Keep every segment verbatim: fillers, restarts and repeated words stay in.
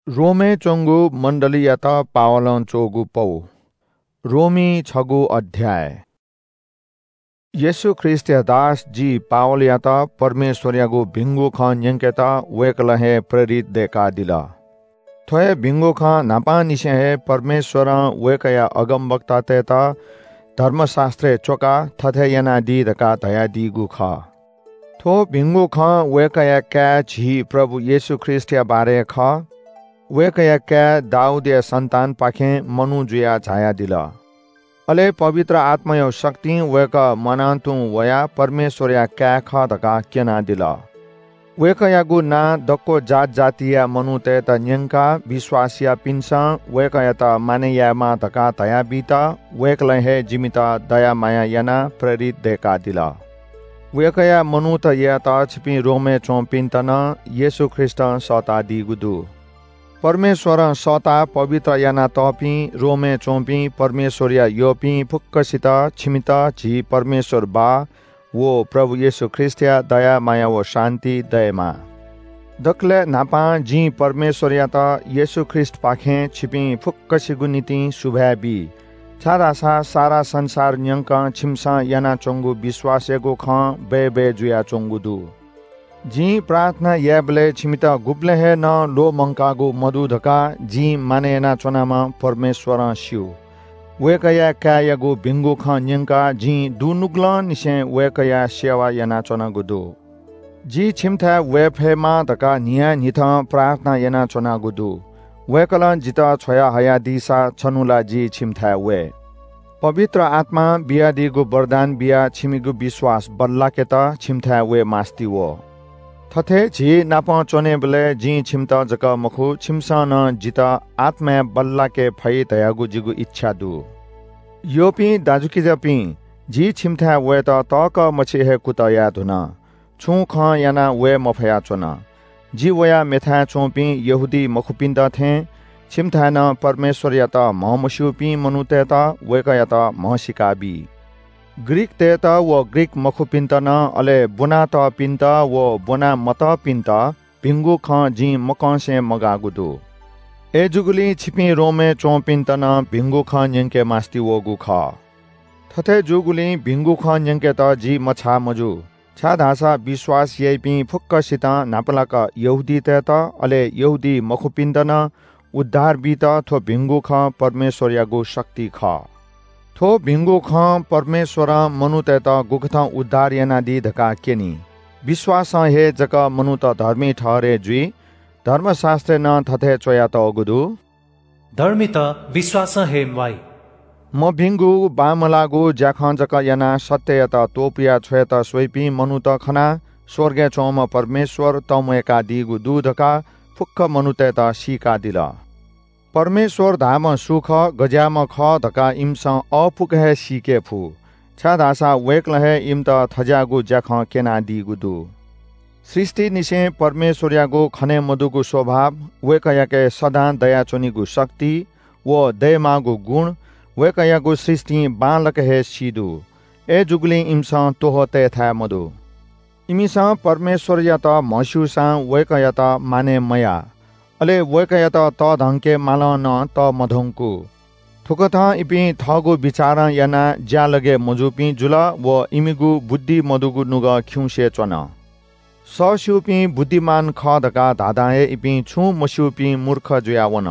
रोमय् च्वंगु मण्डलीयात पावलं च्वःगु पौ। रोमी छगू अध्याय। येशू ख्रीष्टया दास जि पावलयात परमेश्वरयागु भिंगु खँ न्यंकेत वय्कलं हे प्रेरित दय्कादिल। थ्व हे भिंगु खँ न्हापांनिसें हे परमेश्वरं वय्कःया अगमवक्तातय्त धर्मशास्त्रय् च्वकाः थथे यानादी धकाः धयादीगु खः। थ्व भिंगु खँ वय्कःया काय् झी प्रभु येशू ख्रीष्टया बारे खः। वय्कःया काय् दाऊदया सन्तानपाखें मनू जुयाः झायादिल। अले पवित्र आत्माया शक्तिं वय्कः म्वानातुं वयाः परमेश्वरया काय् खः धकाः क्यनादिल। वय्कःयागु नां दक्व जात जातिया मनूतय्त न्यंकाः विश्वास याःपिन्सं वय्कःयात मानय् यायेमाः धकाः धयाबीत वय्कलं हे जिमित दया माया यानाः प्रेरित दय्कादिल। वय्कःया मनूत यायेत छिपिं रोमय् च्वंपिन्त नं येशू ख्रीष्टं सःतादीगु दु। परमेश्वरं सःताः पवित्र यानातःपिं रोमय् च्वंपिं परमेश्वरया यःपिं फुक्कसित छिमित झी परमेश्वर बाः व प्रभु येशू ख्रीष्टया दया माया व शान्ति दयेमा। दकलय् न्हापां जिं परमेश्वरयात येशू ख्रीष्टपाखें छिपिं फुक्कसिगु निंतिं सुभाय् बी, छाय्धाःसा सारा संसार न्यंकं छिमिसं यानाच्वंगु विश्वासयागु खँ बय्बय् जुयाच्वंगु दु। जिं प्रार्थना यायेबलय् छिमित गुबलें हे नं ल्वःमंकागु मदु धकाः जिं मानय् यानाच्वनाम्ह परमेश्वरं स्यू। वय्कःया काय्‌यागु भिंगु खँ न्यंकाः जिं दुनुगलंनिसें वय्कःया सेवा यानाच्वनागु दु। जि छिमिथाय् वये फयेमा धकाः न्हियान्हिथं प्रार्थना यानाच्वनागु दु। वय्कलं जितः छ्वयाहयादीसा छन्हु ला जि छिमिथाय् वये। पवित्र आत्मां बियादीगु वरदान बियाः छिमिगु विश्वास बल्लाकेत छिमिथाय् वये मास्ति वः। थथे झी नाप च्वनेबलय् जिं छिमित जक मखु, छिमिसं नं जितः आत्माय् बल्लाके फइ धयागु जिगु इच्छा दु। यःपिं दाजुकिजापिं, जि छिमिथाय् वयेत तःकः मछि हे कुतः याये धुन। छुं खँ यानाः वये मफयाच्वन। जि वयाः मेथाय् च्वंपिं यहूदी मखुपिन्त थें छिमिथाय् नं परमेश्वरयात म्हमस्यूपिं मनूतय्त वय्कःयात म्हसीका बी। ग्रीकतय्त व ग्रीक मखुपिन्त नं, अले ब्वनातःपिन्त व ब्वना मतःपिन्त भिंगु खँ जिं मकंसे मगाःगु दु। अय्‌जूगुलिं छिपिं रोमय् च्वंपिन्त नं भिंगु खँ न्यंके मास्ति वःगु खः। थथे जूगुलिं भिंगु खँ न्यंकेत जि मछाः मजू, छाय्धाःसा विश्वास याइपिं फुक्कसितं न्हापालाक यहूदीतय्त, अले यहूदी मखुपिन्त नं उद्धार बीत थ्व भिंगु खँ परमेश्वरयागु शक्ति खः। थ्व भिंगु खँ परमेश्वरं मनूतय्त गुकथं उद्धार यानादी धकाः क्यनी। विश्वासं हे जक मनूत धर्मी ठहरय् जुइ। धर्मशास्त्रय् नं थथे च्वयातःगु दु, धर्मीत विश्वासं हे म्वाइ। मभिंगु बांमलाःगु ज्याखँ जक यानाः सत्ययात त्वपुया छ्वयेत स्वइपिं मनूत खनाः स्वर्गय् च्वंम्ह परमेश्वर तंम्वय्कादीगु दु धकाः फुक्क मनूतय्त सीकादिल। परमेश्वर धाःम्ह सु खः, गज्याःम्ह खः धकाः इमिसं अःपुक हे सीके फु, छाय्धाःसा वय्कलं हे इमित थज्याःगु ज्याखँ क्यनादीगु दु। सृष्टिनिसें परमेश्वरयागु खने मदुगु स्वभाव वय्कःयाके सदां दयाच्वनीगु शक्ति व दयेमाःगु गुण वय्कःयागु सृष्टिं बांलाक हे सी दु। अय्‌जूगुलिं इमिसं त्वहः तयेथाय् मदु। इमिसं परमेश्वरयात म्हस्यूसां वय्कःयात मानय् मयाः, अले वय्कःयात तःधंके मालं नं तःमधंकू। थुकथं इपिं थःगु बिचारं यानाः ज्यालगय् मजूपिं जुल व इमिगु बुद्धि मदुगु नुगः खिउँसे च्वन। सःस्यूपिं बुद्धिमान खः धकाः धाधां हे इपिं छुं मस्यूपिं मूर्ख जुयावन।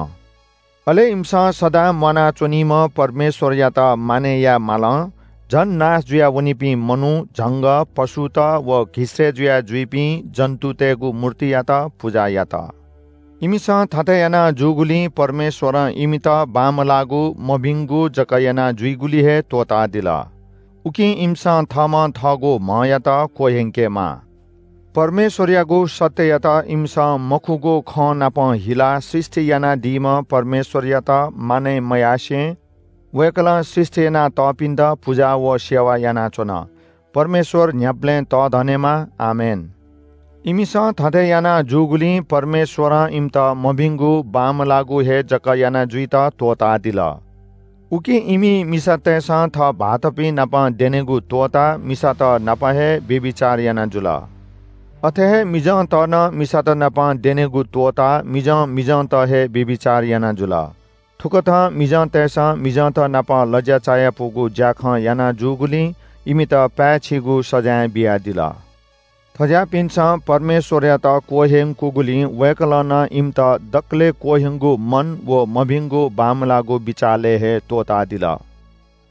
अले इमिसं सदां म्वानाच्वनीम्ह परमेश्वरयात मानय् याये मालं झन नाश जुयावनीपिं मनू, झंगः, पशुत व घिस्रे जुया जुइपिं जन्तुतय्गु मूर्तियात पुजा यात। इमिसं थथे याना जूगुलिं परमेश्वरं इमित बांमलाःगु मभिंगु जक याना जुइगुली हे त्वःतादिल। उकिं इमिसं थःम्हं थःगु म्हयात क्वह्यंकेमाः। परमेश्वरयागु सत्ययात इमिसं मखुगु खँ नाप हिलाः सृष्टि यानादीम्ह परमेश्वरयात मानय् मयासें वय्कलं सृष्टि यानातःपिन्त पुजा व सेवा यानाच्वन। परमेश्वर न्ह्याबलें तःधनेमा। आमेन। इमिसं थथे याना जूगुलिं परमेश्वरं इमित मभिंगु बांमलाःगु हे जक याना जुइत त्वःतादिल। उकिं इमि मिसातय्सं थः भाःतपिं नाप द्यनेगु त्वःताः मिसात नाप हे व्‍यभिचार याना जुल। अथे हे मिजंत नं मिसात नाप द्यनेगु त्वःताः मिजं मिजंत हे व्‍यभिचार याना जुल। थुकथं मिजंतय्‌सं मिजंत नाप लज्‍या चायापुगु ज्‍याखँ याना जूगुलिं इमित पाय्‌छिगु सजाँय बियादिल। थज्‍याःपिन्‍सं परमेश्‍वरयात क्‍वह्यंकूगुलिं वय्‌कलं नं इमित दकलय् क्‍वह्यंगु मन व मभिंगु बांमलाःगु बिचालय् हे त्‍वःतादिल।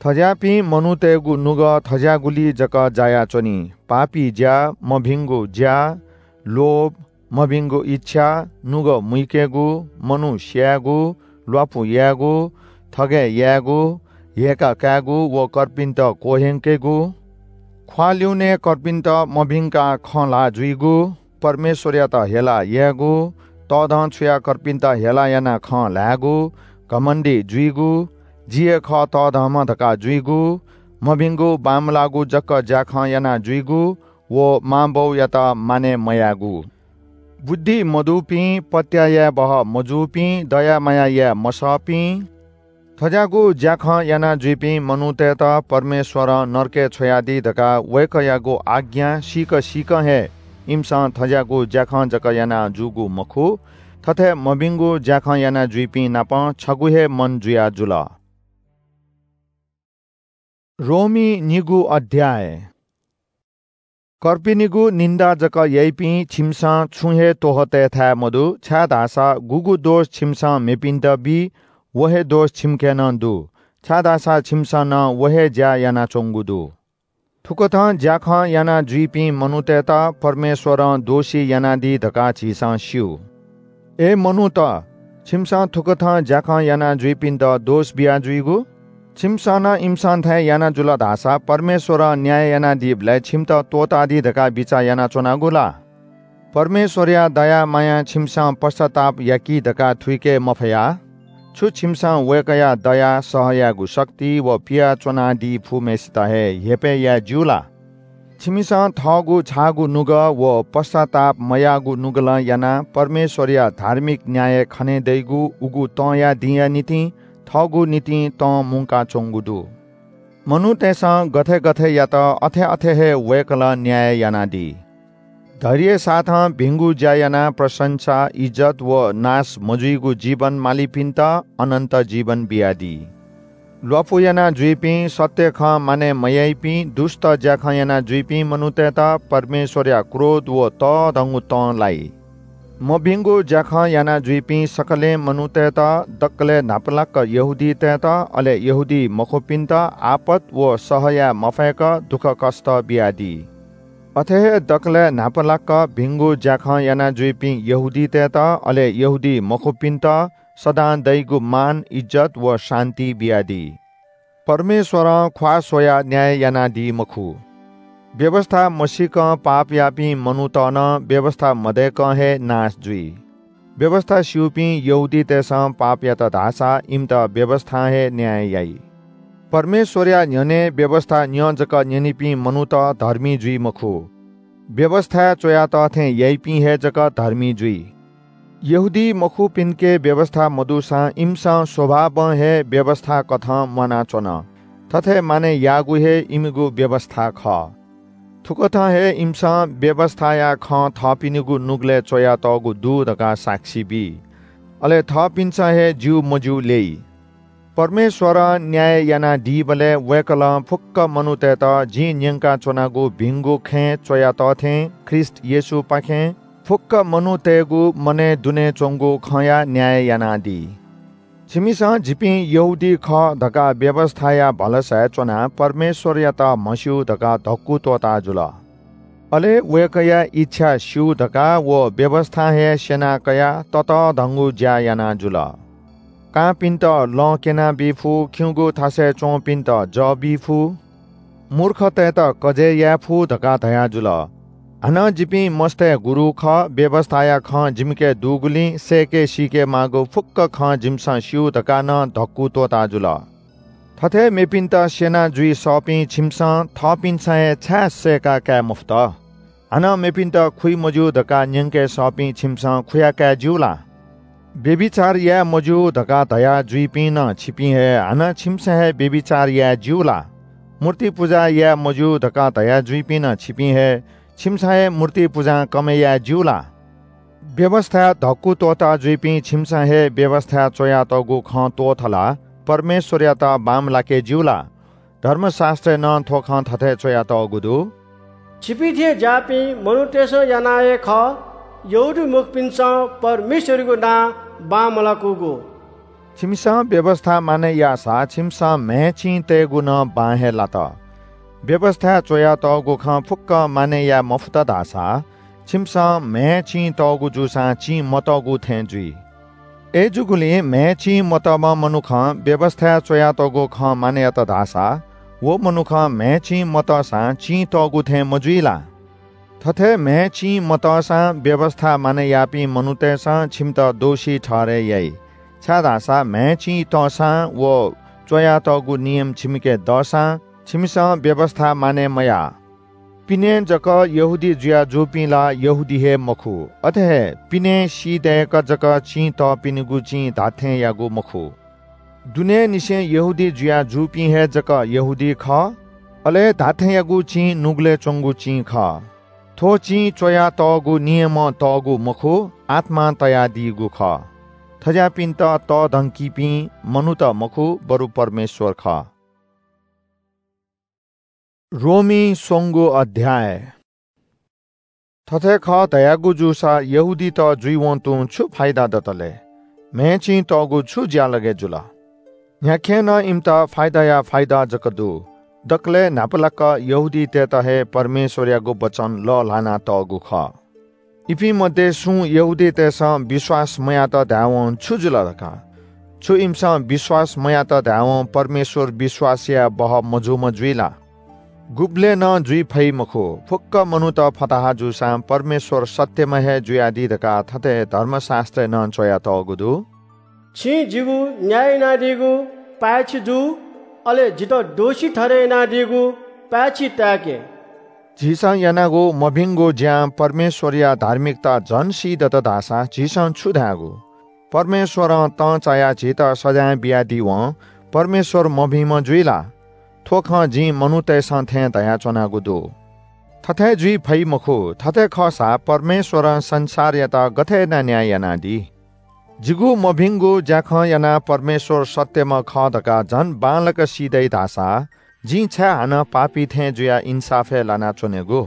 थज्‍याःपिं मनूतय्‌गु नुगः थज्‍याःगुलिइ जक जायाच्‍वनी। पापी ज्‍या, मभिंगु ज्‍या, लोभ, मभिंगु इच्छा, नुगः मुइकेगु, मनू स्‍यायेगु, ल्‍वापु यायेगु, थगय् यायेगु, हेय्‌का कायेगु व कर्पिन्‍त क्‍वह्यंकेगु, ख्‍वाः लिउने कर्पिन्‍त मभिंकाः खँ ल्‍हाः जुइगु, परमेश्‍वरयात हेला यायेगु, तःधंछुयाः कर्पिन्‍त हेला यानाः खँ ल्‍हायेगु, घमण्‍डी जुइगु, जि हे खः तःधंम्‍ह धकाः जुइगु, मभिंगु बांमलाःगु जक ज्‍याखँ याना जुइगु व मांबौयात मानय् मयायेगु, बुद्धि मदुपिं, पत्‍याः याये बहः मजूपिं, दया माया याये मसःपिं, थज्‍याःगु ज्‍याखँ याना जुइपिं मनूतय्‌त परमेश्‍वरं नरकय् छ्वयादी धकाः वय्‌कःयागु आज्ञा सीक सीकं हे इमिसं थज्‍याःगु ज्‍याखँ जक याना जूगु मखु, थथे मभिंगु ज्‍याखँ याना जुइपिं नाप छगू हे मन जुया जुल। रोमी निगू अध्‍याय। कर्पिनिगु निन्‍दा जक याइपिं छिमिसं छुं हे त्‍वहः तयेथाय् मदु, छाय्‌धाःसा गुगु दोष छिमिसं मेपिन्‍त बी, व हे दोष छिमिके नं दु, छाय्‌धाःसा छिमिसं नं व हे ज्‍या यानाच्‍वंगु दु। थुकथं ज्‍याखँ याना जुइपिं मनूतय्‌त परमेश्‍वरं दोषी यानादी धकाः झीसं स्‍यू। अय् मनूत, छिमिसं थुकथं ज्‍याखँ याना जुइपिन्‍त दोष बिया जुइगु? छिमिसं नं इमिसं थें याना जुल धाःसा परमेश्‍वरं न्‍याय यानादीबलय् छिमित त्‍वःतादी धकाः बिचाः यानाच्‍वनागु ला? परमेश्‍वरया दया मायां छिमिसं पश्‍चाताप याकी धकाः थुइके मफया। छु छिमिसं वय्‌कःया दया, सह यायेगु शक्ति व पियाच्‍वनादी फुम्‍हय्‌सित हे हेपय् याये ज्‍यू ला? छिमिसं थःगु छाःगु नुगः व पश्‍चाताप मयाःगु नुगलं यानाः परमेश्‍वरया धार्मिक न्‍याय खने दइगु उगु तंया दिंया निंतिं थःगु निंतिं तं मुंकाच्‍वंगु दु। मनूतय्‌सं गथे गथे यात, अथे अथे हे वय्‌कलं न्‍याय यानादी। धैर्य साथं भिंगु ज्‍या यानाः प्रशंसा, इज्‍जत व नाश मजुइगु जीवन मालीपिन्‍त अनन्‍त जीवन बियादी। ल्‍वापु याना जुइपिं, सत्‍य खँ मानय् मयाइपिं, दुष्‍ट ज्‍याखँ याना जुइपिं मनूतय्‌त परमेश्‍वरया क्रोध व तःधंगु तं लाइ। मभिंगु ज्‍याखँ याना जुइपिं सकलें मनूतय्‌त, दकलय् न्‍हापालाक यहूदीतय्‌त, अले यहूदी मखुपिन्‍त आपत व सह याये मफय्‌क दुःखकष्‍ट बियादी। अथे हे दकलय् न्‍हापालाक भिंगु ज्‍याखँ याना जुइपिं यहूदीतय्‌त, अले यहूदी मखुपिन्‍त सदां दइगु मान, इज्‍जत व शान्‍ति बियादी। परमेश्‍वरं ख्‍वाः स्‍वयाः न्‍याय यानादी मखु। व्‍यवस्‍था मसीकं पाप याःपिं मनूत नं व्‍यवस्‍था मदय्‌कं हे नाश जुइ। व्‍यवस्‍था स्‍यूपिं यहूदीतय्‌सं पाप यात धाःसा इमित व्‍यवस्‍थां हे न्‍याय याइ। परमेश्‍वरया न्‍ह्यःने व्‍यवस्‍था न्‍यँ जक न्‍यनीपिं मनूत धर्मी जुइ मखु। व्‍यवस्‍थाय् च्‍वयातः थें याइपिं हे जक धर्मी जुइ। यहूदी मखुपिन्‍के व्‍यवस्‍था मदुसां इमिसं स्वभावं हे व्‍यवस्‍थाकथं म्‍वानाच्‍वन। थथे मानय् याःगु हे इमिगु व्‍यवस्‍था खः। थुकथं हे इमिसं व्‍यवस्‍थाया खँ थःपिनिगु नुगलय् च्‍वयातःगु दु धकाः साक्षी बी। अले थःपिन्‍सं हे ज्‍यू मज्‍यू ल्‍यइ। परमेश्‍वरं न्‍याय यानादीबलय् वय्‌कलं फुक्‍क मनूतय्‌त जिं न्‍यंकाच्‍वनागु भिंगु खँय् च्‍वयातः थें ख्रीष्‍ट येशूपाखें फुक्‍क मनूतय्‌गु मनय् दुने च्‍वंगु खँया न्‍याय यानादी। छिमिसं जिपिं यहूदी खः धकाः व्‍यवस्‍थाया भलसाय् च्‍वनाः परमेश्‍वरयात म्हस्‍यू धकाः धक्‍कु त्‍वःता जुल। अले वय्‌कःया इच्छा स्‍यू धकाः व व्‍यवस्‍थां हे स्‍यना कयाः ततःधंगु ज्‍या याना जुल। कांपिन्‍त लँ क्‍यनाबी फु, खिउँगु थासय् च्‍वंपिन्‍त जः बी फु, मूर्खतय्‌त कजय् याये फु धकाः धया जुल। हानं जिपिं मस्तय् गुरु खः, व्‍यवस्‍थाया खँ जिमिके दुगुलिं सय्‌के सीके माःगु फुक्‍क खँ जिमिसं स्‍यू धकाः नं धक्‍कु त्‍वःता जुल। थथे मेपिन्‍त स्‍यना जुइ सःपिं छिमिसं थःपिन्‍सं हे छाय् सय्‌का काये मफुत? हानं मेपिन्‍त खुइ मज्‍यू धकाः न्‍यंके सःपिं छिमिसं खुया काये ज्‍यू ला? व्‍यभिचार याये मज्‍यू धकाः धया जुइपिं नं छिपिं हे हानं छिमिसं हे व्‍यभिचार याये ज्‍यू ला? मूर्ति पुजा याये मज्‍यू धकाः धया जुइपिं नं छिपिं हे छिमिसं हे मूर्ति पुजां कमय् याये ज्यू ला? व्‍यवस्‍थाय् धक्‍कु त्‍वःता जुइपिं छिमिसं हे व्‍यवस्‍थाय् च्‍वयातःगु खँ त्‍वःथलाः परमेश्‍वरयात बांमलाके ज्‍यू ला? धर्मशास्‍त्रय् नं थ्‍व खँ थथे च्‍वयातःगु दु – “छिपिं थें ज्‍याःपिं मनूतय्‌सं यानाः हे खः यहूदीमखुपिन्‍सं परमेश्‍वरयागु नां बांमलाकूगु।” छिमिसं व्‍यवस्‍था मानय् याःसा छिमिसं म्‍हय् चिं तयेगु नं बां हे लात। व्‍यवस्‍थाय् च्‍वयातःगु खँ फुक्‍कं मानय् याये मफुत धाःसा छिमिसं म्‍हय् चिं तःगु जूसां चिं मतःगु थें जुइ। अय्‌जूगुलिं म्‍हय् चिं मतःम्‍ह मनुखं व्‍यवस्‍थाय् च्‍वयातःगु खँ मानय् यात धाःसा व मनुखं म्‍हय् चिं मतःसां चिं तःगु थें मजुइ ला? थथे म्‍हय् चिं मतःसां व्‍यवस्‍था मानय् याःपिं मनूतय्‌सं छिमित दोषी ठहरय् याइ, छाय्‌धाःसा म्‍हय् चिं तःसां व च्‍वयातःगु नियम छिमिके दःसां छिमिसं व्‍यवस्‍था मानय् मयाः। पिने जक यहूदी जुया जूपिं ला यहूदी हे मखु, अथे हे पिने सी दय्‌क जक चिं तःपिनिगु चिं धात्‍थेंयागु मखु। दुनेंनिसें यहूदी जुया जूपिं हे जक यहूदी खः, अले धात्‍थेंयागु चिं नुगलय् च्‍वंगु चिं खः। थ्‍व चिं च्‍वयातःगु नियमं तःगु मखु, आत्‍मां तयादीगु खः। थज्‍याःपिन्‍त तःधंकीपिं मनूत मखु, बरु परमेश्‍वर खः। रोमी स्वंगू अध्‍याय। थथे खः धयागु जूसा यहूदीत जुइवं तुं छु फाइदा दत ले? म्‍हय् चिं तःगु छु ज्‍यालगय् जुल? न्‍ह्याख्‍यें नं इमित फाइदाया फाइदा जक दु। दकलय् न्‍हापालाक यहूदीतय्‌त हे परमेश्‍वरयागु वचन लःल्‍हाना तःगु खः। इपिं मध्ये सुं यहूदीतय्‌सं विश्‍वास मयात धायेवं छु जुल धकाः? छु इमिसं विश्‍वास मयात धायेवं परमेश्‍वर विश्‍वास याये बहः मजूम्‍ह जुइ ला? गुबलें नं जुइ फइ मखु। फुक्‍क मनूत फताहा जूसां परमेश्‍वर सत्‍यम्‍ह हे जुयादी धकाः थथे धर्मशास्‍त्रय् नं च्‍वयातःगु दु – “छिं जिगु न्‍याय यानादीगु पाय्‌छि जु, अले जितः दोषी ठहरय् यानादीगु पाय्‌छि ताय्‌के।” झीसं यानागु मभिंगु ज्‍यां परमेश्‍वरया धार्मिकता झन सी दत धाःसा झीसं छु धायेगु? परमेश्‍वरं तं चायाः झीत सजाँय बियादीवं परमेश्‍वर मभिंम्‍ह जुइ ला? थ्‍व खँ जिं मनूतय्‌सं थें धयाच्‍वनागु दु। थथे जुइ फइ मखु। थथे खःसा परमेश्‍वरं संसारयात गथे यानाः न्‍याय यानादी? जिगु मभिंगु ज्‍याखँ यानाः परमेश्‍वर सत्‍यम्‍ह खः धकाः झन बांलाक सी दइ धाःसा जिं छाय् हानं पापी थें जुयाः इन्‍साफय् लानाच्‍वनेगु?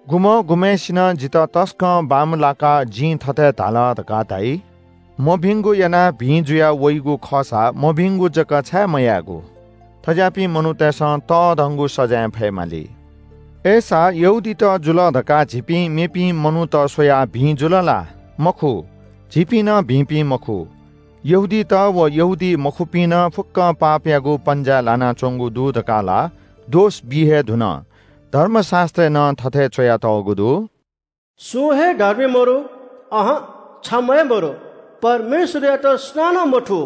गुम्‍हं गुम्‍हय्‌सिनं जितः तसकं बांमलाकाः जिं थथे धाल धकाः धाइ। मभिंगु यानाः भिं जुया वइगु खःसा मभिंगु जक छाय् मयायेगु? थज्‍याःपिं मनूतय्‌सं तःधंगु सजाँय फयेमाली। अय्‌सा यहूदीत जुल धकाः झीपिं मेपिं मनूत स्‍वयाः भिं जुल ला? मखु, झीपिं नं भिंपिं मखु। यहूदीत व यहूदी मखुपिं नं फुक्‍कं पापयागु पन्‍जाय् लानाच्‍वंगु दु धकाः ला दोष बी हे धुन। धर्मशास्‍त्रय् नं थथे च्‍वयातःगु दु – “सुं हे धर्मी मरु, अहं, छम्‍ह हे मरु, परमेश्‍वरयात सुनानं मथू।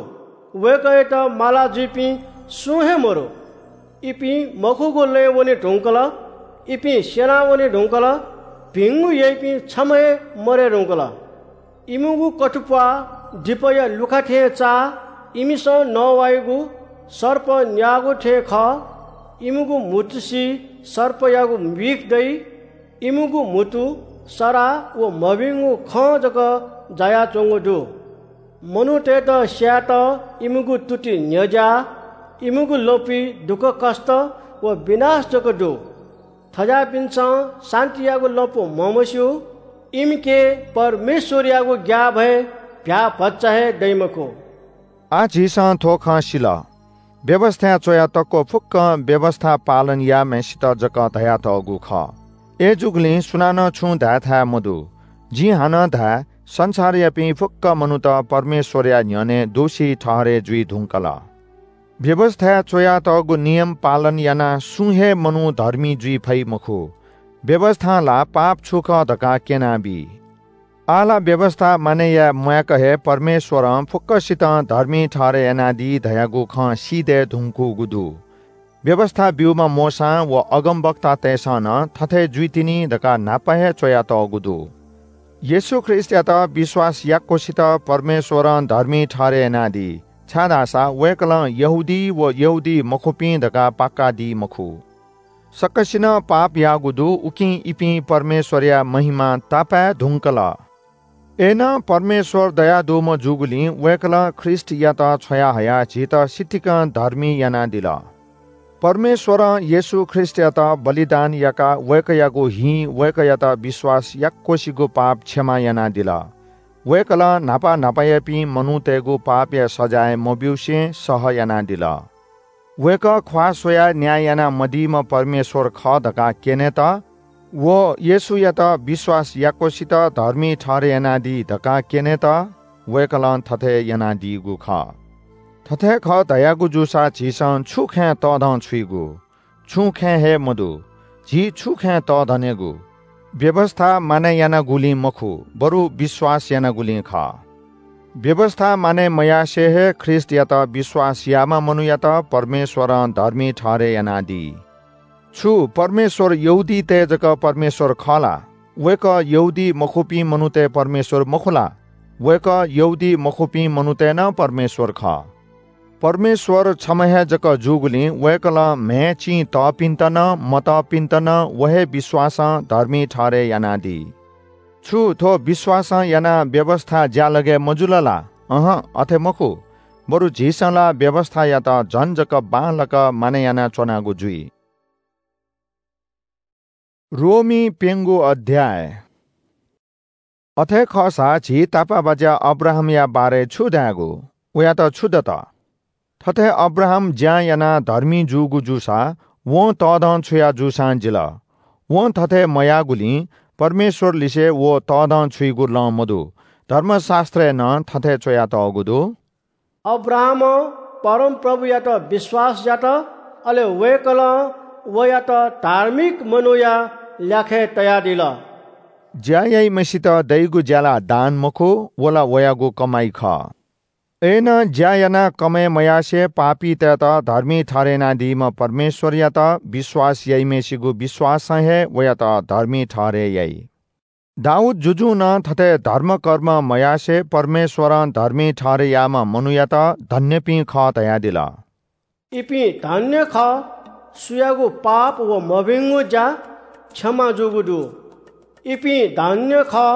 वय्‌कःयात माला जुइपिं सुं हे मरु। इपिं मखुगु लँय् वने धुंकल, इपिं स्‍यना वने धुंकल, भिंगु याइपिं छम्‍ह हे मरये धुंकल। इमिगु कथुप्‍वाः दिपया लुखा थें चाः, इमिसं नवाइगु सर्प न्‍याःगु थें खः। इमिगु म्‍हुतुसि सर्पयागु बिख दइ। इमिगु म्‍हुतु सराः व मभिंगु खँ जक जायाच्‍वंगु दु। मनूतय्‌त स्‍यायेत इमिगु तुति न्‍ह्यज्‍याः, इमिगु लँपुइ दुःखकष्‍ट व विनाश जक दु। थज्‍याःपिन्‍सं शान्‍तियागु लँपु म्हमस्‍यू। इमिके परमेश्‍वरयागु ग्‍याःभय भ्‍याःभचा हे दइ मखु।” आः झीसं थ्‍व खँ सिल। व्‍यवस्‍थाय् च्‍वया तक्‍व फुक्‍कं व्‍यवस्‍था पालन याःम्‍हय्‌सित जक धयातःगु खः। अय्‌जूगुलिं सुनानं छुं धायेथाय् मदु। जिं हानं धाये, संसारयापिं फुक्‍क मनूत परमेश्‍वरया न्‍ह्यःने दोषी ठहरय् जुइ धुंकल। व्‍यवस्‍थाय् च्‍वयातःगु नियम पालन यानाः सुं हे मनू धर्मी जुइ फइ मखु। व्‍यवस्‍थां ला पाप छु खः धकाः क्‍यनाबी। आः ला व्‍यवस्‍था मानय् याये म्‍वाय्‌क हे परमेश्‍वरं फुक्‍कसितं धर्मी ठहरय् यानादी धयागु खँ सी दये धुंकूगु दु। व्‍यवस्‍था ब्‍यूम्‍ह मोशां व अगमवक्तातय्‌सं नं थथे जुइतिनि धकाः न्‍हापा हे च्‍वयातःगु दु। येशू ख्रीष्‍टयात विश्‍वास याक्‍वसित परमेश्‍वरं धर्मी ठहरय् यानादी, छाय्‌धाःसा वय्‌कलं यहूदी व यहूदीमखुपिं धकाः पाक्‍कादी मखु। सकसिनं पाप याःगु दु, उकिं इपिं परमेश्वरया महिमा तापाय् धुंकल। अय्‌नं परमेश्वर दयादुम्ह जूगुलिं वय्‌कलं ख्रीष्टयात छ्वयाहयाः झीत सितिकं धर्मी यानादिल। परमेश्वरं येशू ख्रीष्टयात बलिदान याकाः वय्‌कःयागु हिं वय्‌कःयात विश्वास याक्वसिगु पाप क्षमा यानादिल। वय्‌कलं न्हापा न्हापायापिं मनूतय्‌गु पापया सजाँय मब्यूसें सह यानादिल। वय्‌कः ख्वाः स्वयाः न्याय यानामदीम्ह परमेश्वर खः धकाः क्यनेत व येशूयात विश्वास याक्वसित धर्मी ठहरय् यानादी धकाः क्यनेत वय्‌कलं थथे यानादीगु खः। थथे खः धयागु जूसा झीसं छु खँय् तःधंछुइगु? छुं खँय् हे मदु। झी छु खँय् तःधनेगु? व्‍यवस्‍था मानय् यानागुलिं मखु, बरु विश्‍वास यानागुलिं खः। व्‍यवस्‍था मानय् मयासें हे ख्रीष्‍टयात विश्‍वास याःम्‍ह मनूयात परमेश्‍वरं धर्मी ठहरय् यानादी। छु परमेश्‍वर यहूदीतय् जक परमेश्‍वर खः ला? वय्‌कः यहूदी मखुपिं मनूतय् परमेश्‍वर मखु ला? वय्‌कः यहूदी मखुपिं मनूतय् नं परमेश्‍वर खः। परमेश्‍वर छम्‍ह हे जक जूगुलिं वय्‌कलं म्‍हय् चिं तःपिन्‍त नं, मतःपिन्‍त नं व हे विश्‍वासं धर्मी ठहरय् यानादी। छु थ्‍व विश्‍वासं यानाः व्‍यवस्‍था ज्‍यालगय् मजुल ला? अहं, अथे मखु। बरु झीसं ला व्‍यवस्‍थायात झन जक बांलाक मानय् यानाच्‍वनागु जुइ। रोमी प्‍यंगू अध्‍याय। अथे खःसा झी तापाःबाज्‍या अब्राहामया बारे छु धायेगु? वयात छु दत? थथे अब्राहाम ज्‍यां यानाः धर्मी जूगु जूसा वं तःधंछुया जूसां जिल। वं थथे मयाःगुलिं परमेश्‍वरलिसे व तःधंछुइगु लँ मदु। धर्मशास्‍त्रय् नं थथे च्‍वयातःगु दु। अब्राहामं परमप्रभुयात विश्‍वास यात, अले वय्‌कलं वयात धार्मिक मनूया ल्याखय् तयादिल। ज्‍या याइम्‍हय्‌सित दइगु ज्‍या ला दान मखु, व ला वयागु कमाइ खः। अय्‌नं ज्‍या यानाः कमय् मयासें पापीतय्‌त धर्मी ठहरय् यानादीम्‍ह परमेश्‍वरयात विश्‍वास याइम्‍हय्‌सिगु विश्‍वासं हे वयात धर्मी ठहरय् याइ। दाऊद जुजुं नं थथे धर्मकर्म मयासें परमेश्‍वरं धर्मी ठहरय् याःम्‍ह मनूयात धन्‍यपिं खः धयादिल। इपिं धन्‍य खः, सुयागु पाप व मभिंगु ज्‍या क्षमा जूगु दु। इपिं धन्‍य खः,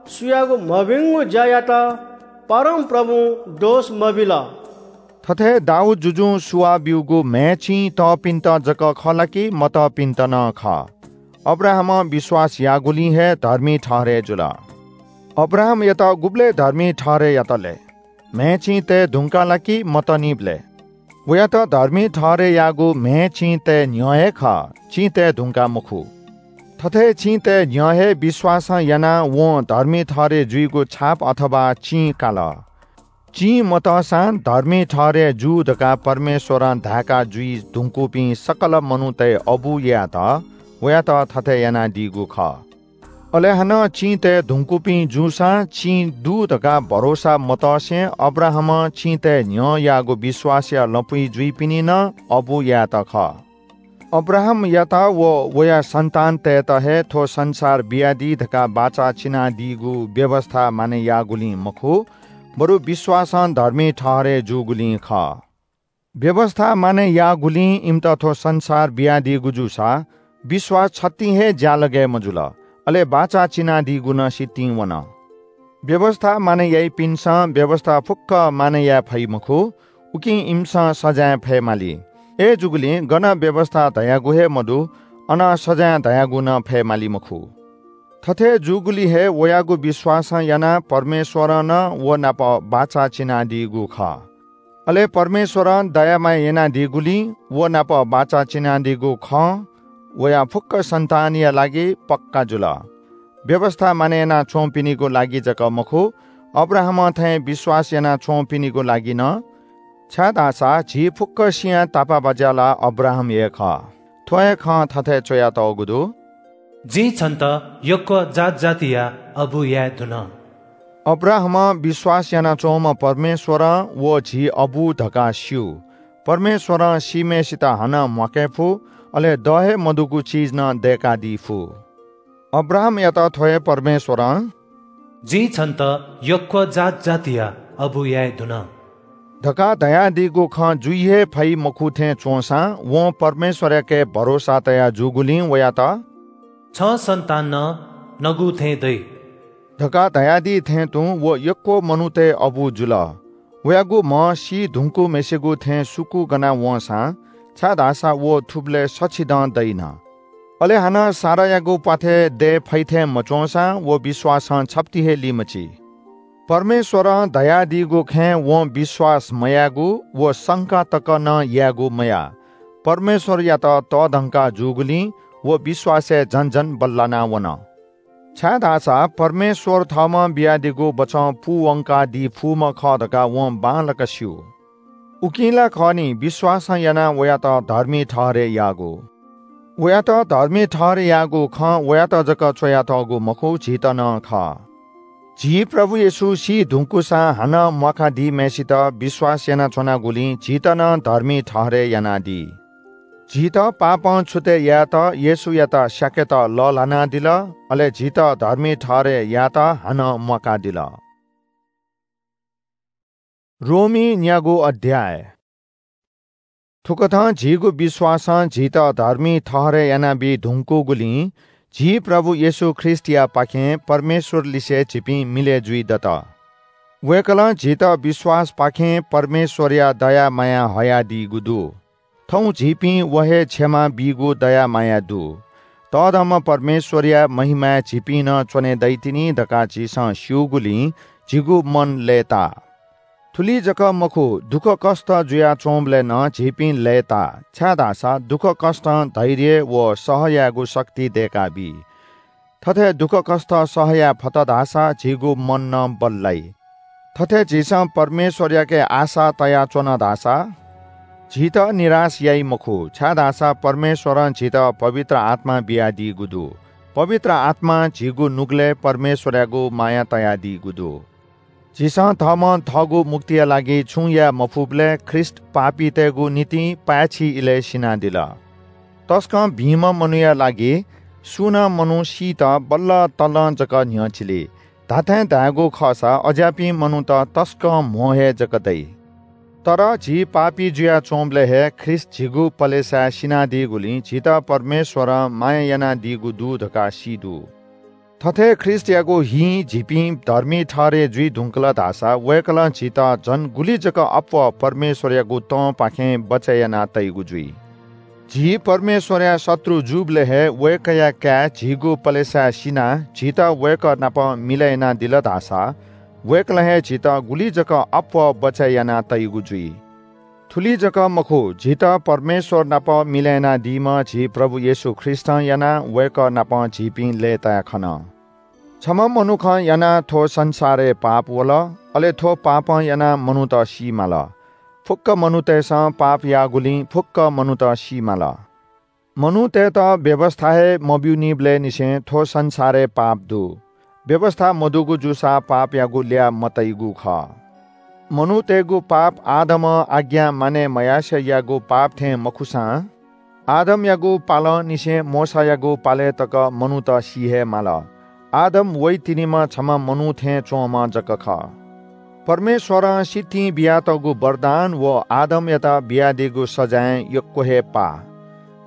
सुयागु मभिंगु ज्‍यायात परमप्रभुं दोष मबिल। थथे दाऊद जुजुं सुवाः ब्‍यूगु म्‍हय् चिं तःपिन्‍त जक खः ला कि मतःपिन्‍त नं खः? अब्राहामं विश्‍वास याःगुलिं हे धर्मी ठहरय् जुल। अब्राहामयात गुबलय् धर्मी ठहरय् यात ले? म्‍हय् चिं तये धुंकाः ला कि मतःनिबलय्? वयात धर्मी ठहरय् याःगु म्‍हय् चिं तये न्‍ह्यः हे खः, चिं तये धुंकाः मखु। थथे चिं तये न्‍ह्यः हे विश्‍वासं यानाः वं धर्मी ठहरय् जुइगु छाप अथवा चिं काल। चिं मतःसां धर्मी ठहरय् जू धकाः परमेश्‍वरं धाय्‌का जुइ धुंकूपिं सकल मनूतय् अबु यायेत वयात थथे यानादीगु खः। अले हानं चिं तये धुंकूपिं जूसां चिं दु धकाः भरोसा मतसें अब्राहामं चिं तये न्‍ह्यः याःगु विश्‍वासया लँपुइ जुइपिनि नं अबु यायेत खः। अब्राहामयात व वया सन्‍तानतय्‌त हे थ्‍व संसार बियादी धकाः बाचा चिनादीगु व्‍यवस्‍था मानय् याःगुलिं मखु, बरु विश्‍वासं धर्मी ठहरय् जूगुलिं खः। व्‍यवस्‍था मानय् याःगुलिं इमित थ्‍व संसार बियादीगु जूसा विश्‍वास छतिं हे ज्‍यालगय् मजुल, अले बाचा चिनादीगु नं सितिं वन। व्‍यवस्‍था मानय् याइपिन्‍सं व्‍यवस्‍था फुक्‍क मानय् याये फइ मखु, उकिं इमिसं सजाँय फयेमाली। अय्‌जूगुलिं गन व्‍यवस्‍था धयागु हे मदु, अन सजाँय धयागु नं फयेमाली मखु। थथे जूगुलिं हे वयागु विश्‍वासं यानाः परमेश्‍वरं नं व नाप बाचा चिनादीगु खः। अले परमेश्‍वरं दया माया यानादीगुलिं व नाप बाचा चिनादीगु खँ वया फुक्‍क सन्‍तानया लागि पक्‍का जुल। व्‍यवस्‍था मानय् यानाच्‍वंपिनिगु लागि जक मखु, अब्राहामं थें विश्‍वास यानाच्‍वंपिनिगु लागि नं, छाय्‌धाःसा झी फुक्‍कसियां तापाःबाज्‍या ला अब्राहाम हे खः। थ्‍व हे खँ थथे च्‍वयातःगु दु, जिं छन्‍त यक्‍व जात जातिया अबु याये धुन। अब्राहामं विश्‍वास यानाच्‍वंम्‍ह परमेश्‍वरं व झी अबु धकाः स्‍यू। परमेश्‍वरं सीम्‍हय्‌सित हानं म्‍वाके फु, अले द हे मदुगु चिज नं दय्‌कादी फु। अब्राहामयात थ्‍व हे परमेश्‍वरं, जिं छन्‍त यक्‍व जात जातिया अबु याये धुन। धकाः धयादीगु खँ जुइ हे फइ मखु थें च्वंसां वं परमेश्वरयाके भरोसा तया जूगुलिं वयात "छं सन्तान नं नगु थें दइ" धकाः धयादी थें तुं व यक्व मनूतय् अबु जुल। वयागु म्ह सी धुंकूम्हेसिगु थें सुकू गना वंसां, छाय्धाःसा व थुबलय् सछिदँ दइन। अले हानं सारायागु प्वाथय् दये फइ थें मच्वंसां व विश्वासं छप्ति हे लिमछि। परमेश्वरं धयादीगु खँय् वं विश्वास मयायेगु व संका तक नं यायेगु मयाः। परमेश्वरयात तःधंका जूगुलिं व विश्वासय् झन झन बल्लाना वन। छाय्धाःसा परमेश्वर थःम्हं बियादीगु बचं पूवंकादी फुम्ह खः धकाः वं बांलाक स्यू। उकिं ला खः नि, विश्वासं यानाः वयात धर्मी ठहरय् याःगु। वयात धर्मी ठहरय् याःगु खँ वयात जक च्वयातःगु मखु, झीत नं खः। झी प्रभु येशू सी धुंकूसां हानं म्वाकादीम्हय्सित विश्वास यानाच्वनागुलिं झीत नं धर्मी ठहरय् यानादी। झीत पापं छुतय् यायेत येशूयात स्याकेत लःल्हानादिल, अले झीत धर्मी ठहरय् यायेत हानं म्वाकादिल। रोमी न्यागू अध्याय। थुकथं झीगु विश्वासं झीत धर्मी ठहरय् यानाबी धुंकूगुलिं झी प्रभु येशू ख्रीष्टयापाखें परमेश्वरलिसे झीपिं मिलय् जुइ दत। वय्कलं झीत विश्वासपाखें परमेश्वरया दया माया हयादीगु दु। थौं झीपिं व हे क्षमा बीगु दया माया दु। तःधंम्ह परमेश्वरया महिमाय् झीपिं नं च्वने दइतिनि धकाः झीसं स्यूगुलिं झीगु मन लय्ताः। थुलि जक मखु, दुःखकष्ट जुयाच्वंबलय् नं झीपिं लय्ताः, छाय्धाःसा दुःखकष्टं धैर्य व सह यायेगु शक्ति दय्काबी। थथे दुःखकष्ट सह याये फत धाःसा झीगु मन नं बल्लाइ। थथे झीसं परमेश्वरयाके आशा तयाच्वन धाःसा झीत निराश याइ मखु, छाय्धाःसा परमेश्वरं झीत पवित्र आत्मा बियादीगु दु। पवित्र आत्मां झीगु नुगलय् परमेश्वरयागु माया तयादीगु दु। झीसं थःम्हं थःगु मुक्तिया लागि छुं याये मफुबलय् ख्रीष्ट पापीतय्गु निंतिं पाय्छि इलय् सिनादिल। तसकं भिंम्ह मनूया लागि सुं नं मनू सीत बल्ल तलं जक न्ह्यचिली। धात्थें धायेगु खःसा अज्याःपिं मनूत तसकं म्हो हे जक दइ। तर झी पापी जुयाच्वंबलय् हे ख्रीष्ट झीगु पलेसाय् सिनादीगुलिं झीत परमेश्वरं माया यानादीगु दु धकाः सी दु। थथे ख्रीष्टयागु हिं झीपिं धर्मी ठहरय् जुइ धुंकल धाःसा वय्कलं झीत झन गुलि जक अप्वः परमेश्वरयागु तंपाखें बचय् याना तइगु जुइ। झी परमेश्वरया शत्रु जूबलय् हे वय्कःया काय् झीगु पलेसाय् सिनाः झीत वय्कः नाप मिलय् यानादिल धाःसा वय्कलं हे झीत गुलि जक अप्वः बचय् याना तइगु जुइ। थुलि जक मखु, झीत परमेश्वर नाप मिलय् यानादीम्ह झी प्रभु येशू ख्रीष्टं यानाः वय्कः नाप झीपिं लय्ताय् खन। छम्ह मनुखं यानाः थ्व संसारय् पाप वल, अले थ्व पापं यानाः मनूत सी माल। फुक्क मनूतय्सं पाप याःगुलिं फुक्क मनूत सी माल। मनूतय्त व्‍यवस्‍था हे मब्‍यूनिबलय् निसें थ्‍व संसारय् पाप दु। व्‍यवस्‍था मदुगु जूसा पापयागु ल्‍याः मतइगु खः। मनूतय्गु पाप आदमं आज्ञा मानय् मयासें याःगु पाप थें मखुसां, आदमयागु पालंनिसें मोशायागु पालय् तक मनूत सी हे माल। आदम वइतिनिम्ह छम्ह मनू थें च्‍वंम्ह जक खः। परमेश्‍वरं सितिं बियातःगु वरदान व आदमयात बियादीगु सजाँयं यक्‍व हे पाः।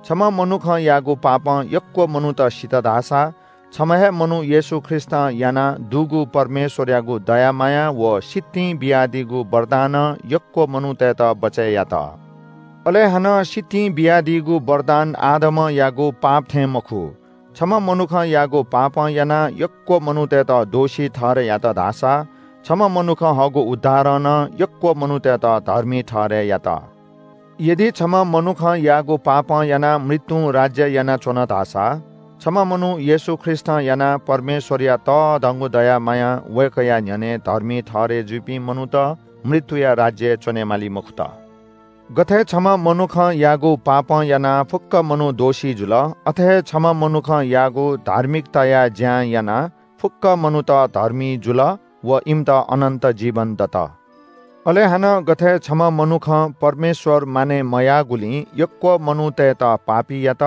छम्ह मनुखं याःगु पापं यक्‍व मनूत सित धाःसा, छम्ह हे मनू येशू ख्रीष्‍टं यानाः दुगु परमेश्‍वरयागु दया माया व सितिं बियादीगु वरदानं यक्‍व मनूतय्‌त बचय् यात। अले हानं सितिं बियादीगु वरदान आदमं याःगु पाप थें मखु। छम्ह मनुखं याःगु पापं यानाः यक्‍व मनूतय्‌त दोषी ठहरय् यात धाःसा, छम्ह मनुखं हःगु उद्धारं नं यक्‍व मनूतय्‌त धर्मी ठहरय् यात। यदि छम्ह मनुखं याःगु पापं यानाः मृत्‍युं राज्‍य यानाच्‍वन धाःसा, छम्ह मनू येशू ख्रीष्‍टं यानाः परमेश्‍वरया तःधंगु दया मायां वय्‌कःया न्‍ह्यःने धर्मी ठहरय् जुइपिं मनूत मृत्‍युया राज्‍यय् च्‍वनेमाली मखुत। गथे छम्ह मनुखं याःगु पापं यानाः फुक्‍क मनू दोषी जुल, अथे हे छम्ह मनुखं याःगु धार्मिकताया ज्‍यां यानाः फुक्‍क मनूत धर्मी जुल व इमित अनन्‍त जीवन दत। अले हानं गथे छम्ह मनुखं परमेश्‍वर मानय् मयाःगुलिं यक्‍व मनूतय्‌त पापी यात,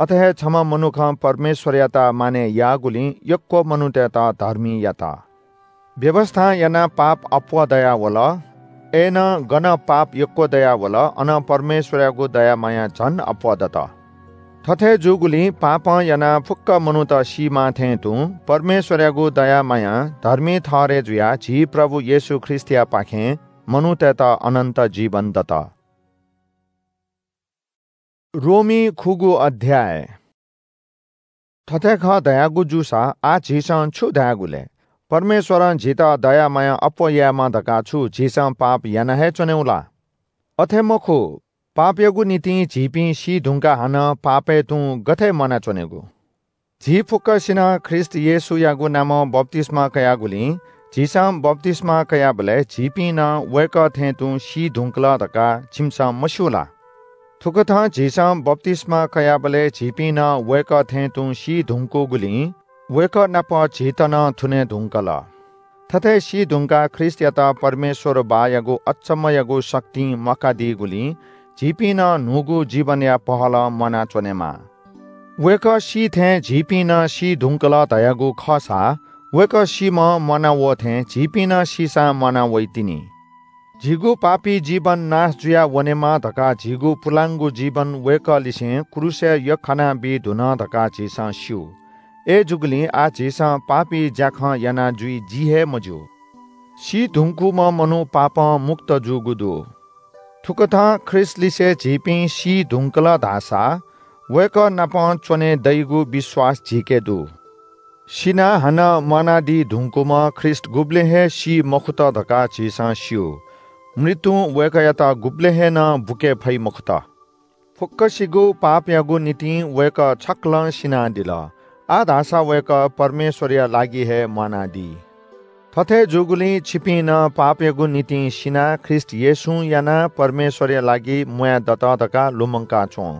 अथे हे छम्ह मनुखं परमेश्‍वरयात मानय् याःगुलिं यक्‍व मनूतय्‌त धर्मी यात। व्‍यवस्‍थां यानाः पाप अप्‍वः दयावल, अय्‌नं गन पाप यक्व दयावल, अन परमेश्वरयागु दया माया झन अप्वः दत। थथे जूगुलिं पापं यानाः फुक्क मनूत सीमाः थें तुं परमेश्वरयागु दया मायां धर्मी ठहरय् जुयाः झी प्रभु येशू ख्रीष्टयापाखें मनूतय्‌त अनन्त जीवन दत। रोमी खुगू अध्याय। थथे खः धयागु जूसा आः झीसं छु धायेगु ले? परमेश्वरं झीत दया माया अप्वः यायेमा धकाः छु झीसं पाप याना हे च्वनेगु ला? अथे मखु, पापयागु निंतिं झीपिं सी धुंकाः हानं पापय् तुं गथे म्वानाच्वनेगु? झी फुक्कसिनं ख्रीष्ट येशूयागु नामं बप्तिस्मा कयागुलिं झीसं बप्तिस्मा कयाबलय् झीपिं नं वय्‌कः थें तुं सी धुंकल धकाः छिमिसं मस्यू ला? थुकथं झीसं बप्तिस्मा कयाबलय् झीपिं नं वय्‌कः थें तुं सी धुंकूगुलिं वय्‌कः नाप झीत नं थुने धुंकल। थथे सी धुंकाः ख्रीष्टयात परमेश्वर बाःयागु अचम्मयागु शक्तिं म्वाकादीगुलिं झीपिं नं न्हूगु जीवनया पहलं म्वानाच्वनेमाः। वय्‌कः सी थें झीपिं नं सी धुंकल धयागु खःसा, वय्‌कः सीम्ह म्वाना वः थें झीपिं नं सीसां म्वाना वइतिनि। झीगु पापी जीवन नाश जुया वनेमा धकाः झीगु पुलांगु जीवन वय्‌कःलिसें क्रूसय् यख्खाना बी धुन धकाः झीसं स्यू। अय्‌जूगुलिं आः झीसं पापी ज्याखँ याना जुइ जी हे मज्यू। सी धुंकूम्ह मनू पापं मुक्त जूगु दु। थुकथं ख्रीष्टलिसे झीपिं सी धुंकल धाःसा वय्‌कः नाप च्वने दइगु विश्वास झीके दु। सिनाः हानं म्वानादी धुंकूम्ह ख्रीष्ट गुबलें हे सी मखुत धकाः झीसं स्यू। मृत्युं वय्‌कःयात गुबलें हे नं बुके फइ मखुत। फुक्कसिगु पापयागु निंतिं वय्‌कः छकलं सिनादिल। आः धाःसा वय्‌कः परमेश्वरया लागि हे म्वानादी। थथे जूगुलिं छिपिं नं पापयागु निंतिं सिनाः ख्रीष्ट येशूं यानाः परमेश्वरया लागि म्वाये दत धकाः लुमंका च्वँ।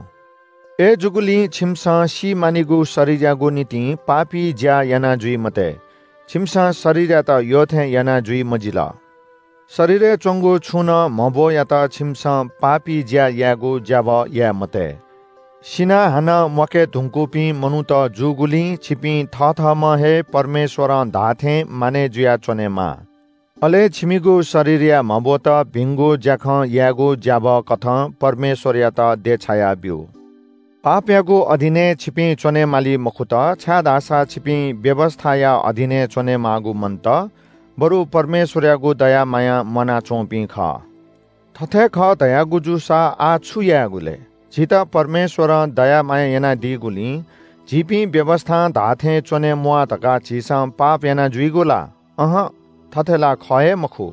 अय्‌जूगुलिं छिमिसं सी मानिगु शरीरयागु निंतिं पापी ज्या याना जुइ मते। छिमिसं शरीरयात यःथें याना जुइ मजिल। शरीरय् च्वंगु छुं नं म्हब्वयात छिमिसं पापी ज्या यायेगु ज्याभः याये मते। सिनाः हानं म्वाके धुंकूपिं मनूत जूगुलिं छिपिं थःथःम्हं हे परमेश्वरं धाःथें मानय् जुयाच्वनेमाः। अले छिमिगु शरीरया म्हब्वत भिंगु ज्याखँ यायेगु ज्याभः कथं परमेश्वरयात देछाया ब्यु। पापयागु अधीनय् छिपिं च्वने माली मखुत, छाय्धाःसा छिपिं व्‍यवस्‍थाया अधीनय् च्वनेमाःगु मन्‍त, बरु परमेश्‍वरयागु दया मायां म्‍वानाच्‍वंपिं खः। थथे खः धयागु जूसा आः छु यायेगु ले? झीत परमेश्‍वरं दया माया यानादीगुलिं झीपिं व्‍यवस्‍थां धाःथें च्‍वने म्‍वाः धकाः झीसं पाप याना जुइगु ला? अहं, थथे ला खः हे मखु।